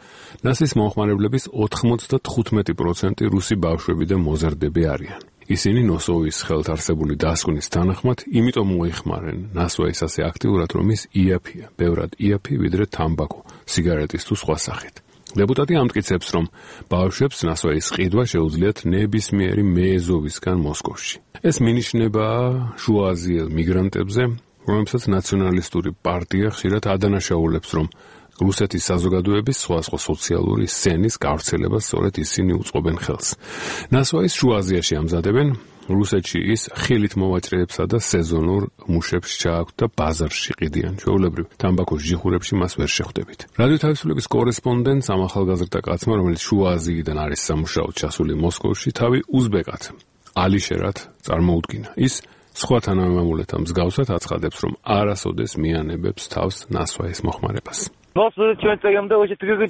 Speaker 11: ნასის მომხმარებლების ოთხმოცდათხუთმეტი პროცენტი რუსი ბავშვები და მოზარდები არიან. ისინი ნოსოვის ხელთ არსებული დასკვნის თანახმად, იმიტომ მოიხმარენ ნასვაის ასე აქტიურად, რომ ის იაფია, ბევრად იაფი ვიდრე თამბაქო, სიგარეტის თუ სხვა სახით. დეპუტატი ამტკიცებს, რომ ბავშვებს ნასვაის ყიდვა შეუძლიათ ნებისმიერი მეეზოვისგან მოსკოვში. ეს მინიშნება შუააზიელ მიგრანტებზე, რომელსაც ნაციონალისტური პარტია ხშირად ადანაშაულებს, რომ რუსეთის საზოგადოების სხვადასხვა სოციალური სცენის გავრცელებას სწორედ ისინი უწყობენ ხელს. ნასვაის შუა აზიაში ამზადებენ, რუსეთში ის ხილით მოვაჭრეებსა და სეზონურ მუშებს ჩააქვთ და ბაზარში ყიდიან. ჩვეულებრივ, თამბაქოს ჯიხურებში მას ვერ შეხვდებით. რადიო თავისუფლების კორესპონდენტს ამ ახალგაზრდა კაცმა, რომელიც შუა აზიიდან არის სამუშაოდ ჩასული მოსკოვში, თავი უზბეკად, ალიშერად წარმოუდგინა. ის სხვა თანამემამულეთა მსგავსად აცხადებს, რომ არასოდეს მიანებებს თავს ნასვაის მოხმარებას.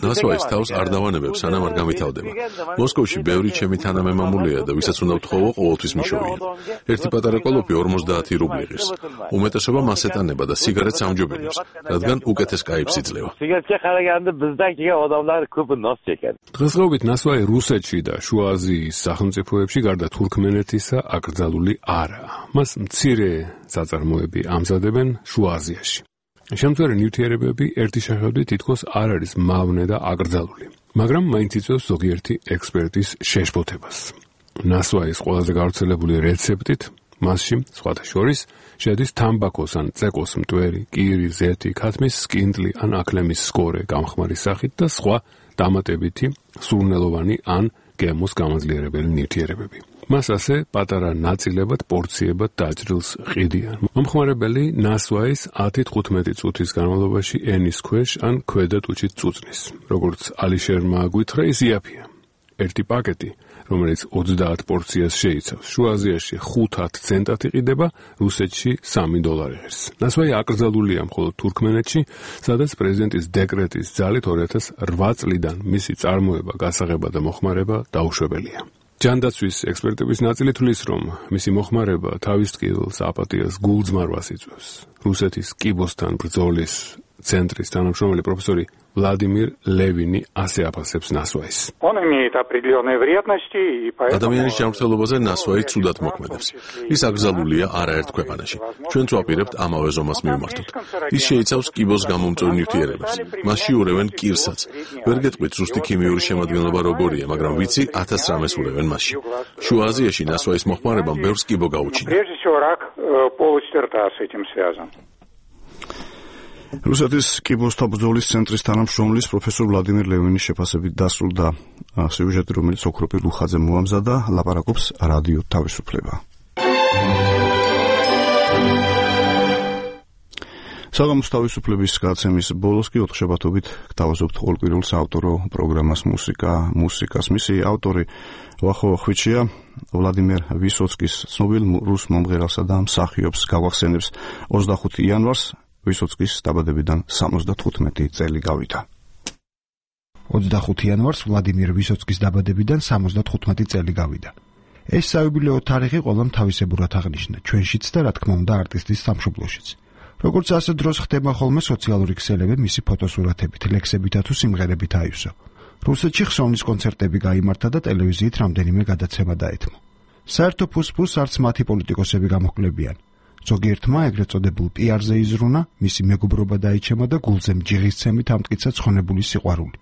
Speaker 11: ნასვაის თავს არ დავანებებს, სანამ არ გამითავდება. მოსკოვში ბევრი ჩემი თანამემამულია და ვისაც უნდა ვთხოვო, ყოველთვის მიშოვია. ერთი პატარა კოლოფი ორმოცდაათი რუბლი ღირს. უმეტესობა მას ეტანება და სიგარეტს ამჯობინებს, რადგან უკეთეს კაიფს იძლევა. დღესდღეობით ნასვაი რუსეთში და შუა აზიის სახელმწიფოებში გარდა თურქმენეთისა აკრძალული არაა. მას მცირე საწარმოები ამზადებენ შუა აზიაში. შემწვარი ნივთიერებები ერთი შეხედვით თითქოს არ არის მავნე და აკრძალული, მაგრამ მაინც იწვევს ზოგიერთი ექსპერტის შეშფოთებას. ნასვაის ყველაზე გავრცელებული რეცეპტით მასში, სხვათა შორის, შედის თამბაქოს ან წეკოს მტვერი, კირი, ზეთი, ქათმის სკინდლი ან აქლემის სკორე გამხმარი სახით და სხვა დამატებითი, სურნელოვანი ან გემოს გამაძლიერებელი ნივთიერებები. მას ასე პატარა ნაწილებად, პორციებად დაჭრილს ყიდიან. მომხმარებელი ნასვაის ათით თხუთმეტი წუთის განმავლობაში ენის ქვეშ ან ქვედა ტუჩით წუწნის. როგორც ალიშერმა გვითხრა, ის იაფია. ერთი პაკეტი რომელიც ოცდაათ პორციას შეიცავს. შუა აზიაში ხუთ ცენტად იყიდება, რუსეთში სამი დოლარი ღირს. ნასვაი აკრძალულია მხოლოდ თურქმენეთში, სადაც პრეზიდენტის დეკრეტის ძალით ორი ათას რვა წლიდან მისი წარმოება, გასაღება და მოხმარება დაუშვებელია. ჯანდაცვის ექსპერტების ნაწილი თვლის, რომ მისი მოხმარება თავის ტკივილს, აპატიას, გულძმარვას იწვევს. რუსეთის კიბოსთან ბრძოლის ცენტრის თანამშრომელი პროფესორი ვლადიმირ ლევინი ასე აფასებს ნასვაის.
Speaker 4: ადამიანის ჯანმრთელობაზე ნასვაი ცუდად მოქმედებს. ის აკრძალულია არაერთ ქვეყანაში. ჩვენც ვაპირებთ ამავე ზომას მივმართოთ. ის შეიცავს კიბოს გამომწვევ ნივთიერებებს. მასში ურევენ კირსაც. ვერ გეტყვით ზუსტი ქიმიური შემადგენლობა როგორია, მაგრამ ვიცი ათას რამეს ურევენ მასში. შუა აზიაში ნასვაის მოხმარებამ ბევრს კიბო გაუჩინა.
Speaker 1: რუსეთის კიბოსთან ბრძოლის ცენტრის თანამშრომლის პროფესორ ვლადიმირ ლევინის შეფასებით დასრულდა სიუჟეტი, რომელიც ოქროპირ ლუხაძემ მოამზადა, ლაპარაკობს რადიო თავისუფლება. საღამოს თავისუფლების გადაცემის ბოლოს კი ოთხშაბათობით გთავაზობთ ყოველკვირეულ საავტორო პროგრამას მუსიკა მუსიკას. მისი ავტორი ვახო ხვიჩია ვლადიმერ ვისოცკის ცნობილ რუს მომღერალსა და მსახიობს გავახსენებს ოცდახუთი იანვარს ვისოცკის დაბადებიდან სამოცდათხუთმეტი წელი გავიდა.
Speaker 12: ოცდახუთი იანვარს ვლადიმერ ვისოცკის დაბადებიდან სამოცდათხუთმეტი წელი გავიდა. ეს საიუბილეო თარიღი ყველამ თავისებურად აღნიშნა, ჩვენშიც და რა თქმა უნდა არტისტის სამშობლოშიც. როგორც ასე დროს ხდება ხოლმე სოციალური ქსელები მისი ფოტოსურათებით, ლექსებითა თუ სიმღერებით აივსო. რუსეთში ხსოვნის კონცერტები გაიმართა და ტელევიზიით რამდენიმე გადაცემა დაეთმო. საერთო ფუსფუს არც მათი პოლიტიკოსები გამოჰკლებიან. ზოგიერთმა ეგრეთ წოდებულ პიარზე იზრუნა, მისი მეგობრობა დაიჩემა და გულზე მჯიღისცემით ამტკიცა ცხონებული სიყვარული.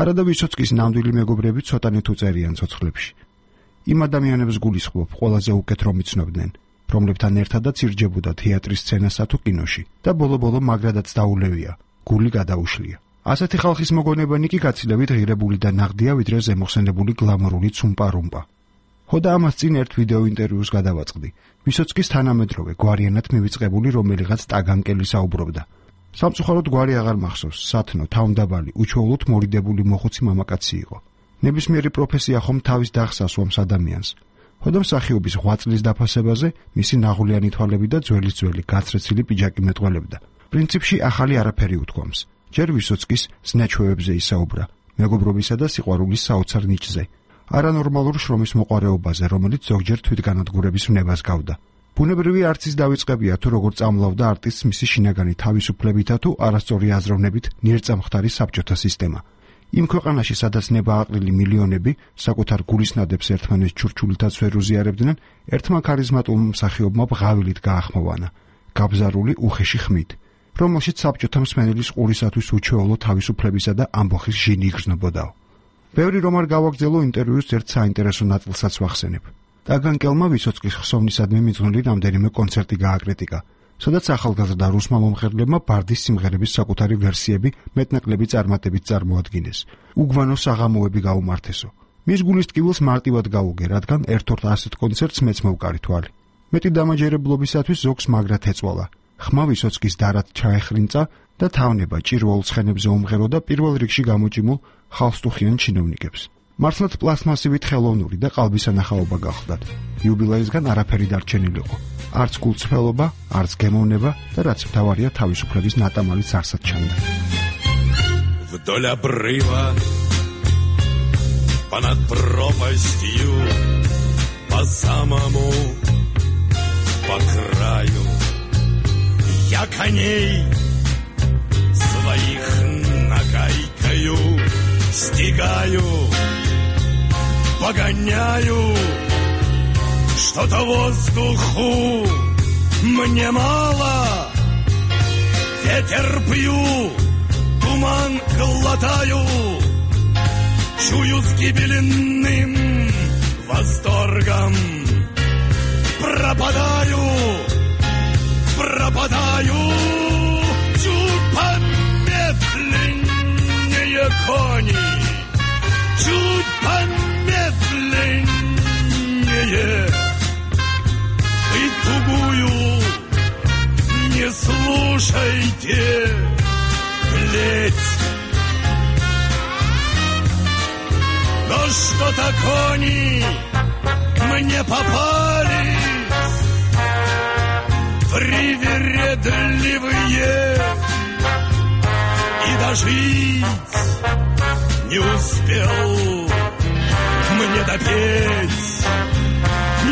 Speaker 12: არა და ვისოცკის ნამდვილი მეგობრები ცოტანი თუ წერიან ცოცხლებში. იმ ადამიანებს გულისხმობ, ყველაზე უკეთ რომ იცნობდნენ, რომლებთან ერთადაც ირჯებოდა თეატრის სცენასა თუ კინოში და ბოლო-ბოლო მაგრადაც დაულევია, გული გადაუშლია. ასეთი ხალხის მოგონებანი კი გაცილებით ღირებული და ნაღდია, ვიდრე ზემოხსენებული გლამურული ცუმპა-რუმპა. ხოდა ამას წინ ერთ ვიდეო ინტერვიუს გადავაწყდი. ვისოცკის თანამედროვე გვარიანად მივიწყებული რომელიღაც ტაგანკელი საუბრობდა. სამწუხაროდ გვარი აღარ მახსოვს, სათნო, თავმდაბალი, უჩვეულოდ მორიდებული მოხუცი მამაკაცი იყო. ნებისმიერი პროფესია ხომ თავის დახს ასვამს ადამიანს. ხოდა მსახიობის ღვაწლის წლის დაფასებაზე მისი ნაღვლიანი თვალები და ძველის-ძველი გაცრეცილი პიჯაკი მეტყველებდა. პრინციპში ახალი არაფერი უთქვამს. ჯერ ვისოცკის ზნეჩვევებზე ისაუბრა, მეგობრობისა და სიყვარულის საოცარ ნიჭზე. არანორმალურ შრომის მოყვარეობაზე, რომელიც ზოგჯერ თვითგანადგურების ვნებას გავდა. ბუნებრივი არცის დავიწყებია თუ როგორ წამლავდა არტისტს მისი შინაგანი თავისუფლებითა თუ არასწორი აზროვნებით ნიერწამხდარი საბჭოთა სისტემა. იმ ქვეყანაში, სადაც ნებააყრილი მილიონები საკუთარ გულისნადებს ერთმანეთს ჩურჩულითაც ვერ უზიარებდნენ, ერთმა ქარიზმატულმა მსახიობმა ბღავილით გაახმოვანა, გაბზარული უხეში ხმით, რომელშიც საბჭოთა მსმენელის ყურისათვის უჩვეულო თავისუფლებისა და ამბოხის ჟინი იგრძნობოდაო. ბევრი რომ არ გავაგრძელო ინტერვიუს ერთ საინტერესო ნაწილსაც ვახსენებ. ტაგანკელმა ვისოცკის ხსოვნისადმი მიძღვნილი რამდენიმე კონცერტი გააკრიტიკა, სადაც ახალგაზრდა რუსმა მომღერლებმა ბარდის სიმღერების საკუთარი ვერსიები მეტნაკლები წარმატებით წარმოადგინეს. უგვანო საღამოები გაუმართესო. მის გულის ტკივილს მარტივად გაუგე, რადგან ერთ-ერთ ასეთ კონცერტს მეც მოვკარი თვალი. მეტი დამაჯერებლობისათვის ზოგს მაგრად ეწვალა. ხმა ვისოცკის დარად ჩაეხრინწა და თავნება ჭირვაულ ცხენებზე უმღეროდა პირველ რიგში გამოჭიმულ ხალხსტუხიან ჩინოვნიკებს. მართლაც პლასმასივით ხელოვნური და ყალბისანახაობა გახდათ. იუბილეისგან არაფერი დარჩენილიყო. არც გულწრფელობა, არც გემოვნება და რაც მთავარია თავისუფლების ნატამალიც არსად ჩანდა.
Speaker 13: Вдоль обрыва понад пропастью по самому по краю я коней своих нагайкою стигаю, погоняю, что-то воздуху мне мало, ветер пью, туман глотаю, чую с гибельным восторгом, пропадаю, пропадаю, чуть помедленнее кони, чуть помедленнее, и тугую не слушайте, плеть. До что-то кони мне попались привередливые, и дожить не успел мне допеть,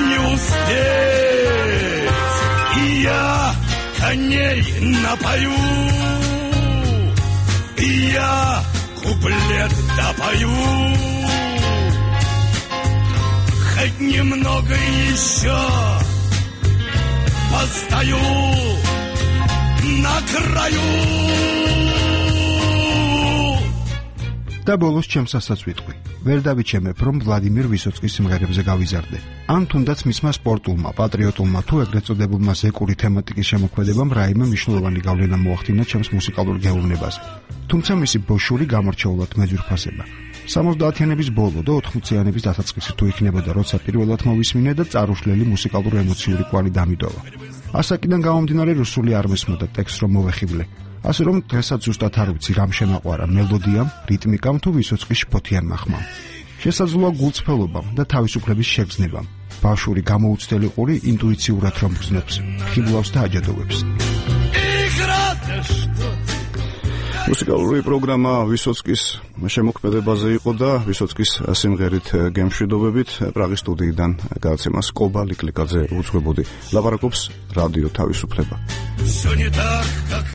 Speaker 13: не успеть, и я коней напою, и я куплет допою, хоть немного еще постою на краю.
Speaker 12: და ბოლოს ჩემს ასაც ვიტყვი. ვერ დავიჩემებ, რომ ვლადიმირ ვისოცკის სიმღერებზე გავიზარდე. ან თუნდაც მისმა სპორტულმა, პატრიოტულმა თუ ეგრეთ წოდებულმა ზეკური თემატიკის შემოქმედებამ რაიმე მნიშვნელოვანი გავლენა მოახდინა ჩემს მუსიკალურ გეუბნებაზე. თუმცა მისი ბოშური გამორჩეულად მეძვირფასება. სამოცდაათიანების ბოლო და ოთხმოციანების დასაწყისი თუ იქნებოდა, როცა პირველად მოვისმინე და წარუშლელი მუსიკალურ ემოციური კვალი დამიდოვა. ასაკიდან გამომდინარე რუსული არ მესმოდა ტექსტს რომ მოვეხიბლე. ასე რომ დღესაც ზუსტად არ ვიცი რამ შემაყვარა მელოდიამ, რიტმიკამ თუ ვისოცკის შფოთიანმა ხმამ. შესაძლოა გულწრფელობამ და თავისუფლების შეგრძნებამ. ბავშვური გამოუცდელი ყური ინტუიციურად რომ გრძნობს, ხიბლავს და აჯადოვებს.
Speaker 1: მუსიკალური პროგრამა ვისოცკის შემოქმედებაზე იყო და ვისოცკის სიმღერით გემშვიდობებით პრაღის სტუდიიდან გადაცემას კობა ლიკლიკაძე უძღვებოდი. ლაპარაკობს რადიო თავისუფლება.